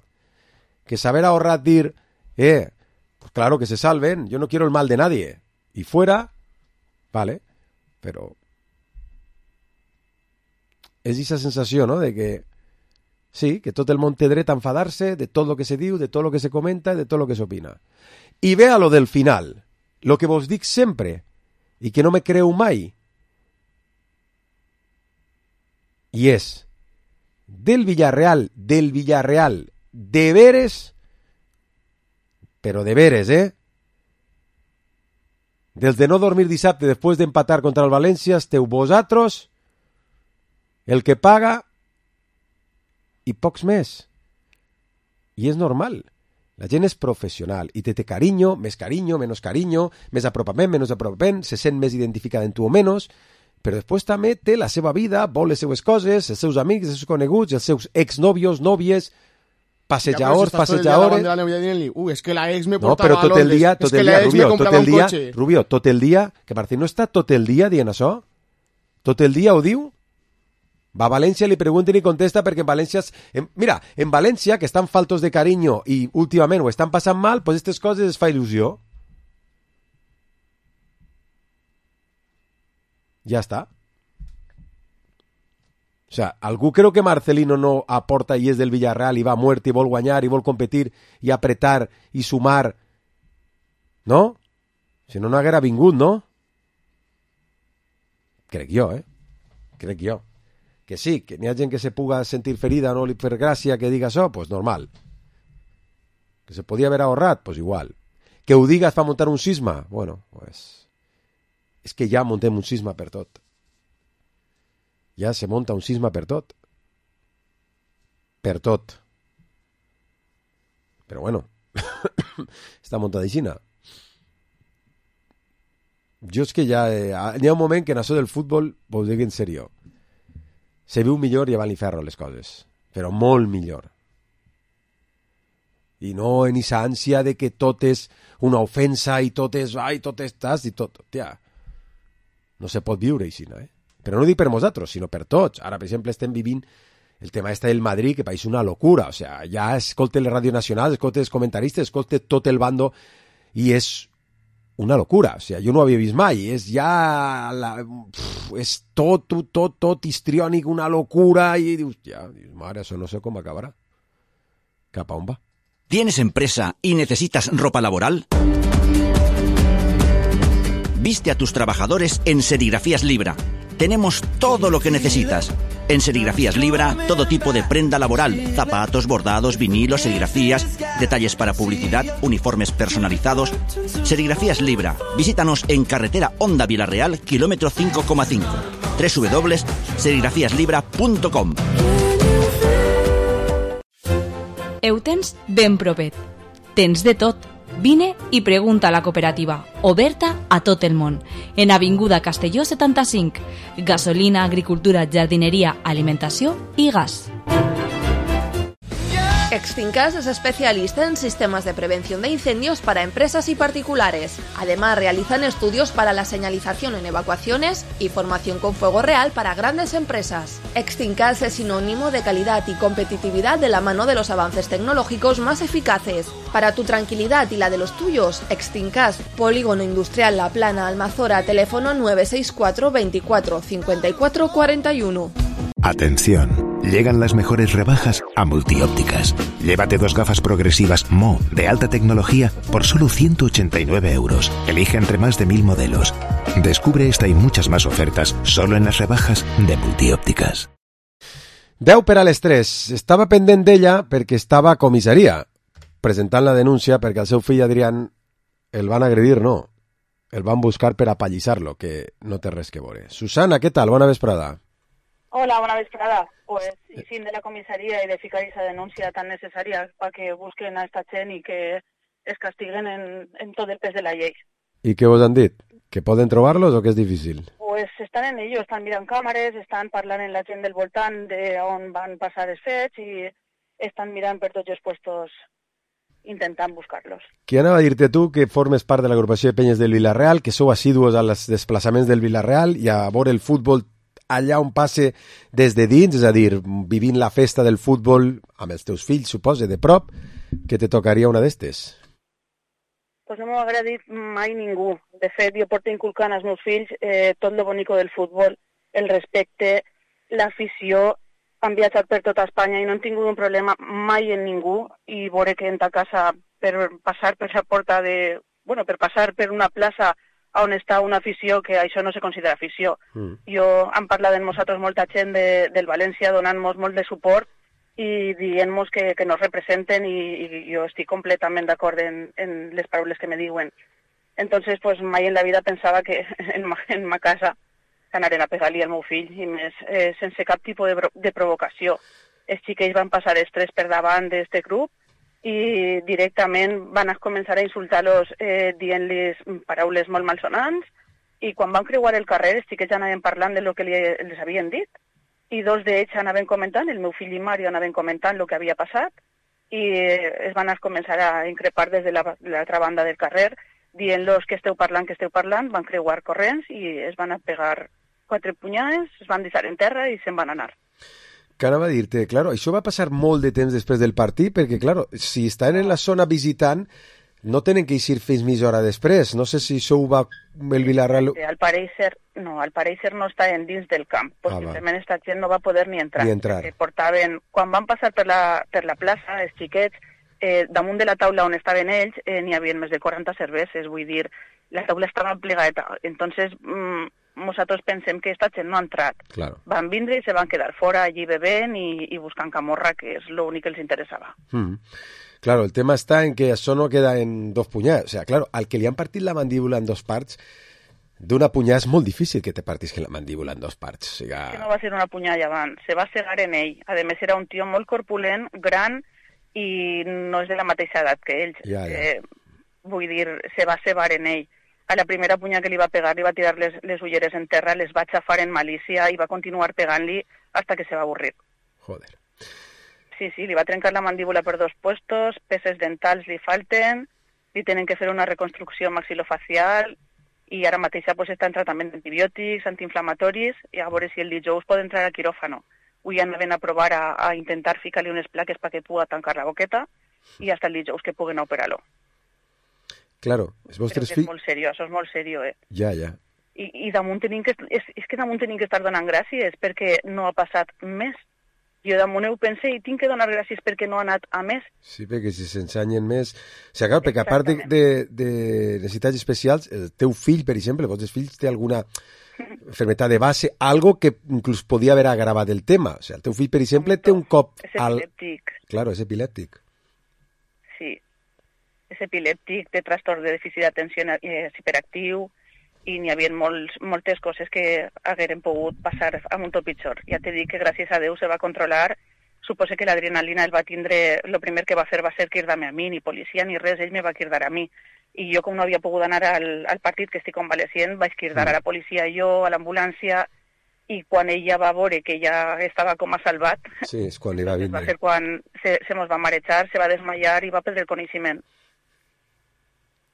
Que saber ahorrar dir, pues claro que se salven, yo no quiero el mal de nadie. Y fuera, vale, pero és esa sensació, ¿no?, de que sí, que tot el món té dret a enfadar-se de tot lo que se diu, de tot lo que se comenta, de tot lo que s'opina. I ve a lo del final, lo que vos dic sempre, i que no me creu mai, i és del Villarreal, de veres, però de veres, dels de no dormir dissabte després d'empatar contra el València, esteu vosaltres, el que paga, i pocs més. I és normal. La gent és professional i té carinyo, menys carinyo, més apropament, menys apropament, se sent més identificada en tu o menys, però després també té la seva vida, vol les seues coses, els seus amics, els seus coneguts, els seus exnòvios, nòvies, passejadors. És que la ex me portava però tot el dia, Rubio, tot el dia, que Martín no està tot el dia dient això? Tot el dia ho diu? Va a València, li pregunten i contesta perquè en València... Mira, en València, que estan faltos de carinyo i últimament ho estan passant mal, pues aquestes coses es fa il·lusió. Ja està. O sea, algú creu que Marcelino no aporta i és del Villarreal i va a muerte i vol guanyar i vol competir i apretar i sumar? No? Si no, no haguera vingut, no? Crec jo, Crec jo. Que sí, que n'hi ha gent que se puga sentir ferida, no li fer gràcia que diga això, pues normal. Que se podia haver ahorrat, pues igual. Que ho diga es fa muntar un sisma, bueno, pues... És que ja muntem un sisma per tot. Ja se monta un sisma per tot. Per tot. Però bueno, està muntada aixina. Jo és que ja... N'hi ha un moment que en això del futbol, vos dic en sèrio, se viu millor llevant l'inferno les coses, però molt millor. I no en esa ànsia de que tot és una ofensa i tot és, tot estàs i tot, tia. No se pot viure així, Però no dic per nosaltres, sinó per tots. Ara, per exemple, estem vivint el tema del Madrid, que pareix una locura. O sea, ja escolte les ràdio nacionals, escolte els comentaristes, escolte tot el bando, i és una locura, o sea, jo no ho havia vist mai, és ja és tot histriònic, una locura, i dius, mare, això no sé com acabarà. Cap a on va? ¿Tienes empresa y necesitas ropa laboral? Viste a tus trabajadores en Serigrafías Libra. Tenemos todo lo que necesitas. En Serigrafías Libra, todo tipo de prenda laboral, zapatos, bordados, vinilos, serigrafías, detalles para publicidad, uniformes personalizados. Serigrafías Libra. Visítanos en carretera Honda Villarreal, kilómetro 5,5. www.serigrafiaslibra.com. Ho tens ben propet. Tens de tot. Vine i pregunta a la cooperativa, oberta a tot el món, en Avinguda Castelló 75, gasolina, agricultura, jardineria, alimentació i gas. Extincas es especialista en sistemas de prevención de incendios para empresas y particulares. Además, realizan estudios para la señalización en evacuaciones y formación con fuego real para grandes empresas. Extincas es sinónimo de calidad y competitividad de la mano de los avances tecnológicos más eficaces. Para tu tranquilidad y la de los tuyos, Extincas, Polígono Industrial La Plana, Almazora, teléfono 964 24 54 41. Atención, llegan las mejores rebajas a Multiópticas. Llévate 2 gafas progresivas Mo de alta tecnología por solo 189 euros. Elige entre más de 1000 modelos. Descubre esta y muchas más ofertas solo en las rebajas de Multiópticas. 10 per a les 3. Estava pendent d'ella perquè estava a comissaria presentant la denúncia perquè al seu fill Adrián el van agredir, no. el van buscar per apallissar-lo, que no té res que veure. Susana, què tal? Bona vesprada. Hola, bona vesprada. Pues, y fin de la comisaría y de ficar esa denuncia tan necesaria para que busquen a esta gent y que es castiguen en todo el pes de la llei. I què vos han dit? Que poden trobar-los o que és difícil? Pues están en ello, están mirant càmeres, estan parlant amb la gent del voltant de on van passar els fets i estan mirant per tots els puestos intentant buscar-los. Qui anava a dir-te tu que formes part de l'agrupació de penyes del Vilareal, que sou assiduos als desplaçaments del Vilareal i a veure el futbol allà on passe des de dins, és a dir, vivint la festa del futbol amb els teus fills, suposa, de prop, que te tocaria una d'estes? Pues no m'ho ha agradit mai ningú. De fet, jo porto inculcant als meus fills tot lo bonico del futbol, el respecte, l'afició. Han viatjat per tota Espanya i no han tingut un problema mai en ningú i veure que en ta casa per passar per la porta de... Bueno, per passar per una plaça on està una afició, que això no se considera afició. Jo han parlat amb nosaltres molta gent del València donant-nos molt de suport i dient-nos que nos representen i jo estic completament d'acord en les paraules que me diuen. Entonces, pues mai en la vida pensava que en ma casa anaren a pegar-li al meu fill, i més sense cap tipus de provocació. Els xiquets van passar estrès per davant d'aquest grup i directament van començar a insultar-los dient-los paraules molt malsonants, i quan van creuar el carrer els xiquets anaven parlant de lo que les havien dit, i dos d'ells anaven comentant, el meu fill i Mario anaven comentant el que havia passat, i es van començar a increpar des de l'altra banda del carrer, dient-los que esteu parlant, van creuar corrents i es van a pegar 4 punyades, es van deixar en terra i se'n van anar. Que anava a dir-te, claro, això va passar molt de temps després del partit, perquè, claro, si estan en la zona visitant, no tenen que eixir fins mitja hora després. No sé si això ho va el Vilareal... Al pareixer no estaven dins del camp, possiblement esta gent no va poder ni entrar. Portaven, quan van passar per la plaça, els xiquets, damunt de la taula on estaven ells, n'hi havia més de 40 cerveses, vull dir, la taula estava plegada. Entonces, nosaltres pensem que esta gent no ha entrat. Claro. Van vindre i se van quedar fora allí bevent i buscant camorra, que és l'únic que els interessava. Claro, el tema està en que això no queda en 2 punyades. O sea, claro, al que li han partit la mandíbula en 2 parts, d'una punyada és molt difícil que te partisquen la mandíbula en 2 parts. O sigui... Que no va ser una punyada llevant, se va cegar en ell. A més, era un tio molt corpulent, gran, i no és de la mateixa edat que ells. Ja. Vull dir, se va cegar en ell. A la primera punyada que li va pegar, li va tirar les ulleres en terra, les va xafar en malícia i va continuar pegant-li hasta que se va avorrir. Joder. Sí, li va trencar la mandíbula per 2 puestos, peces dentals li falten, li tenen que fer una reconstrucció maxilofacial i ara mateix està en tractament d'antibiòtics, antiinflamatoris, i a veure si el dijous pot entrar al quiròfano. Avui anaven a provar a intentar ficar-li unes plaques perquè pugui tancar la boqueta i hasta el dijous que puguen operar-lo. Claro, els vostres fills... És molt seriós, això és molt seriós, Ja. I damunt tenim que estar donant gràcies perquè no ha passat més. Jo damunt ho pense i tinc que donar gràcies perquè no ha anat a més. Sí, perquè si s'ensenyen més... O sigui, perquè a part de necessitats especials, el teu fill, per exemple, els vostres fills té alguna enfermedad de base, algo que inclús podia haver agravat el tema. O sigui, el teu fill, per exemple, té un cop... És epilèptic. Claro, és epilèptic. Sí. És epilèptic, té trastorn de dèficit d'atenció, és hiperactiu, i n'hi havia moltes coses que hagueren pogut passar amb un tot pitjor. Ja t'he dit que gràcies a Déu se va controlar. Suposo que l'adrenalina el va tindre... El primer que va fer va ser cridar-me a mi, ni policia ni res, ell me va cridar a mi. I jo, com no havia pogut anar al partit, que estic convalescent, vaig cridar a la policia jo, a l'ambulància, i quan ella va veure que ja estava com a salvat... Sí, és quan li va vindre. Va ser quan se mos va marejar, se va desmaiar i va perdre el coneixement.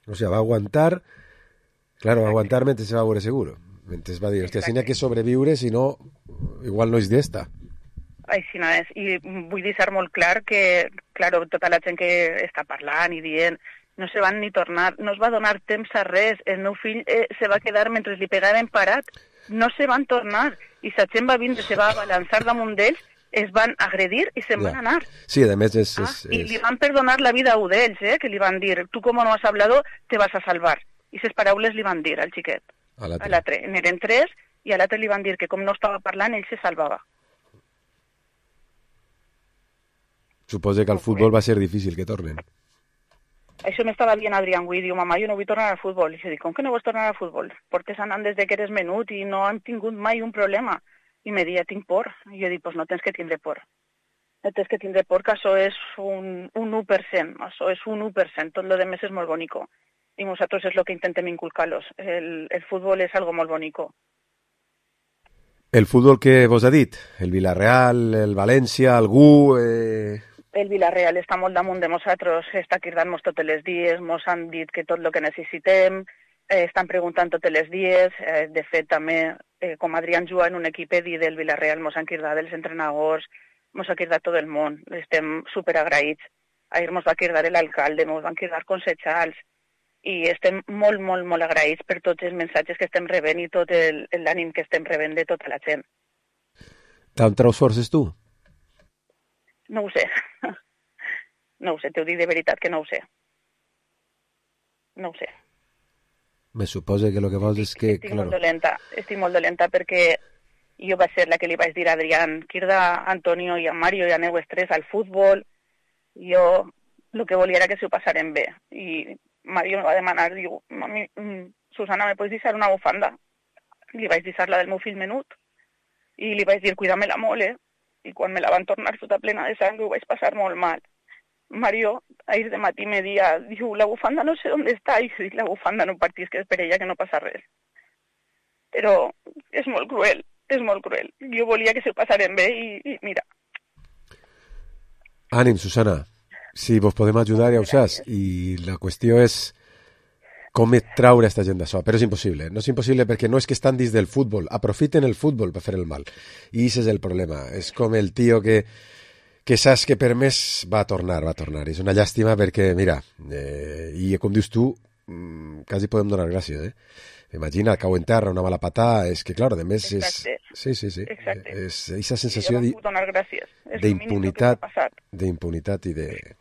O sigui, va aguantar... Claro, va aguantar mentre se va veure seguro. Mentre va dir, hòstia, si n'hi ha que sobreviure, si no, igual no és d'esta. Així no és. I vull deixar molt clar que, claro, tota la gent que està parlant i dient no se van ni tornar, no es va donar temps a res. El meu fill se va quedar mentre li pegaven parat. No se van tornar. I la gent va vindre, se va balançar damunt d'ells, es van agredir i se'n van anar. Sí, a més és... I li van perdonar la vida a un d'ells, que li van dir, tu com no has hablado, te vas a salvar. I les paraules li van dir al xiquet. A l'altre. N'eren 3 i a l'altre li van dir que com no estava parlant, ell se salvava. Suposo que al futbol va ser difícil que tornen. Això m'estava dient Adrián avui, diu, mama, jo no vull tornar al futbol. I jo dic, com que no vols tornar al futbol? Portes anant des de que eres menut i no han tingut mai un problema. I me deia, tinc por. I jo dic, pues no tens que tindre por. No tens que tindre por, que això és un 1%. Això és un 1%. Tot lo demés és molt bonico. I nosaltres és el que intentem inculcar-los. El futbol és algo molt bonico. El futbol que vos ha dit? El Villarreal, el València, algú... El Villarreal està molt damunt de nosaltres, està cridant-nos tots els dies, ens han dit que tot el que necessitem, estan preguntant tots els dies, de fet també, com Adrián juga en un equip del Villarreal, ens han cridat els entrenadors, ens ha cridat tot el món, estem superagraïts. Ahir ens va cridar l'alcalde, ens van cridar consellers, i estem molt, molt, molt agraïts per tots els missatges que estem rebent i tot l'ànim que estem rebent de tota la gent. D'on treus forces tu? No ho sé. No ho sé, t'ho dic de veritat que no ho sé. No ho sé. Me suposa que el que vols és que... Estic molt dolenta perquè jo vaig ser la que li vaig dir a Adrián, crida a Antonio i a Mario i a aneu estrès al futbol. Jo el que volia era que s'ho passaren bé. I Mario me va demanar, diu, mami, Susana, me pots deixar una bufanda? Li vaig deixar la del meu fill menut. I li vaig dir, cuida-me-la molt, I quan me la van tornar tota plena de sang ho vaig passar molt mal. Mario, ahir de matí me dia, diu, la bufanda no sé on està, i jo dic, la bufanda no partís, que és per ella que no passa res. Però és molt cruel, és molt cruel. Jo volia que s'ho passaren bé i mira. Ànim, Susana, si vos podem ajudar ja ho saps, i la qüestió és com traure aquesta gent d'això, però és impossible. No és impossible perquè no és que estan dins del futbol, aprofiten el futbol per fer el mal. I aquest és el problema. És com el tio que saps que per més va tornar. És una llàstima perquè, mira, i com dius tu, quasi podem donar gràcies, Imagina, cau en terra, una mala patada, és que, clar, a més és... Sí. Exacte. És aquesta sensació d'impunitat i de...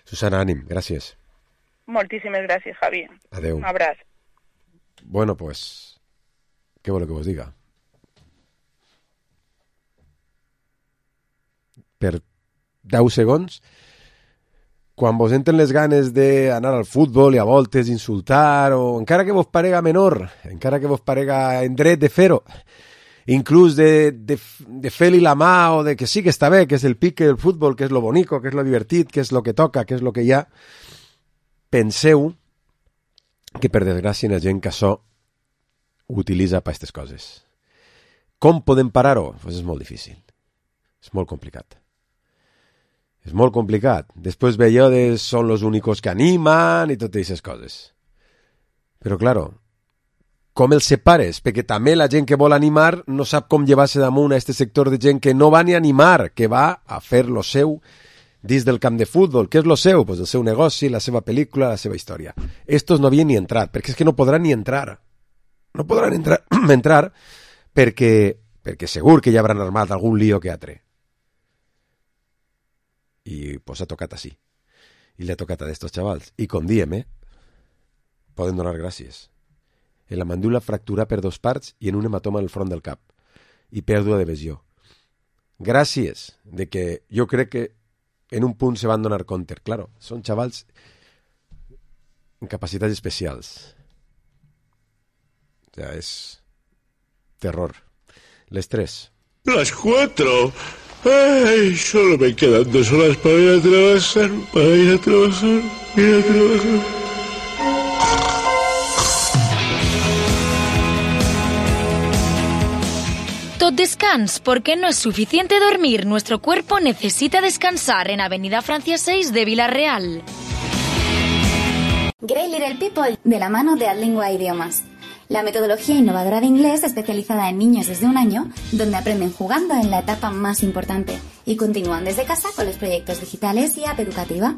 Susana, ànim, gràcies. Moltíssimes gràcies, Javi. Adeu. Un abraç. Bueno, pues, què vol que vos diga? Per 10 segons, quan vos entren les ganes d'anar al futbol i a voltes insultar, o encara que vos parega menor, encara que vos parega en dret de fer-ho, inclús de fer-li la mà, o de que sí que està bé, que és el pique del futbol, que és lo bonico, que és lo divertit, que és lo que toca, que és lo que hi ha, penseu que per desgràcia hi ha gent que això ho utilitza per aquestes coses. Com podem parar-ho? Pues és molt difícil. És molt complicat. És molt complicat. Després veiem són els únicos que animen i totes aquestes coses. Però, claro, com els separes? Perquè també la gent que vol animar no sap com llevar-se damunt a aquest sector de gent que no va ni a animar, que va a fer lo seu dins del camp de futbol. Què és lo seu? Pues el seu negoci, la seva pel·lícula, la seva història. Estos no havien ni entrat, perquè és que no podran ni entrar. No podran entrar perquè segur que ja hauran armat algun lío que altre. I pues ha tocat així. I li ha tocat a estos xavals. I com diem, poden donar gràcies. En la mandíbula fractura per 2 parts i en un hematoma al front del cap. I pèrdua de visió. Gràcies de que jo crec que en un punt se van donar compte. Claro, són xavals amb capacitats especials. O sea, es terror. Les 3. Las 4. Ay, solo me quedan 2 horas para ir a trabajar. Tot descans, porque no es suficiente dormir. Nuestro cuerpo necesita descansar en Avenida Francia 6 de Villarreal. Great Little People, de la mano de Adlingua Idiomas. La metodología innovadora de inglés especializada en niños desde 1 año, donde aprenden jugando en la etapa más importante y continúan desde casa con los proyectos digitales y app educativa.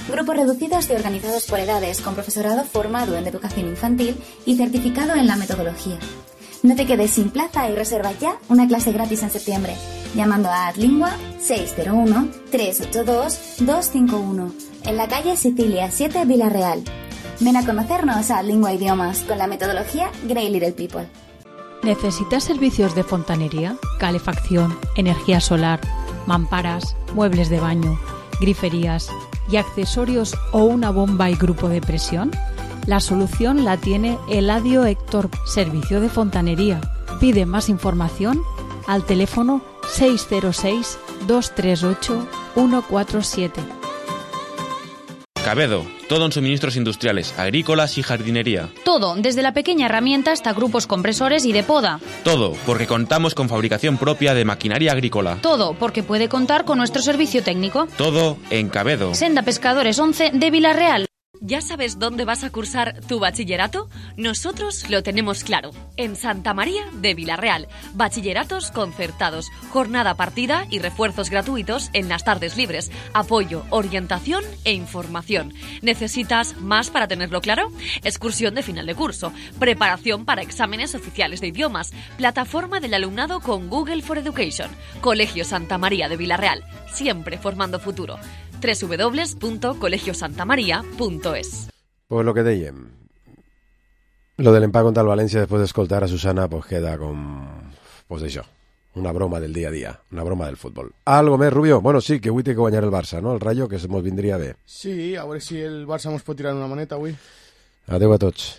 Grupos reducidos y organizados por edades, con profesorado formado en educación infantil y certificado en la metodología. No te quedes sin plaza y reserva ya una clase gratis en septiembre, llamando a Adlingua 601-382-251, en la calle Sicilia 7, Villarreal. Ven a conocernos a Adlingua Idiomas con la metodología Great Little People. ¿Necesitas servicios de fontanería, calefacción, energía solar, mamparas, muebles de baño, griferías y accesorios o una bomba y grupo de presión? La solución la tiene Eladio Héctor, servicio de fontanería. Pide más información al teléfono 606-238-147. Cabedo, todo en suministros industriales, agrícolas y jardinería. Todo, desde la pequeña herramienta hasta grupos compresores y de poda. Todo, porque contamos con fabricación propia de maquinaria agrícola. Todo, porque puede contar con nuestro servicio técnico. Todo en Cabedo. Senda Pescadores 11 de Villarreal. ¿Ya sabes dónde vas a cursar tu bachillerato? Nosotros lo tenemos claro. En Santa María de Villarreal. Bachilleratos concertados, jornada partida y refuerzos gratuitos en las tardes libres. Apoyo, orientación e información. ¿Necesitas más para tenerlo claro? Excursión de final de curso, preparación para exámenes oficiales de idiomas, plataforma del alumnado con Google for Education. Colegio Santa María de Villarreal, siempre formando futuro. www.colegiosantamaria.es. Pues lo que dèiem, lo de l'empat contra el València després d'escoltar a Susana pues queda com, pues això, una broma del dia a dia, una broma del futbol. Algo més, Rubio? Bueno, sí, que avui té que guanyar el Barça, no? El Rayo, que mos vindria bé. Sí, a veure si el Barça mos pot tirar una maneta avui. Adeu a tots.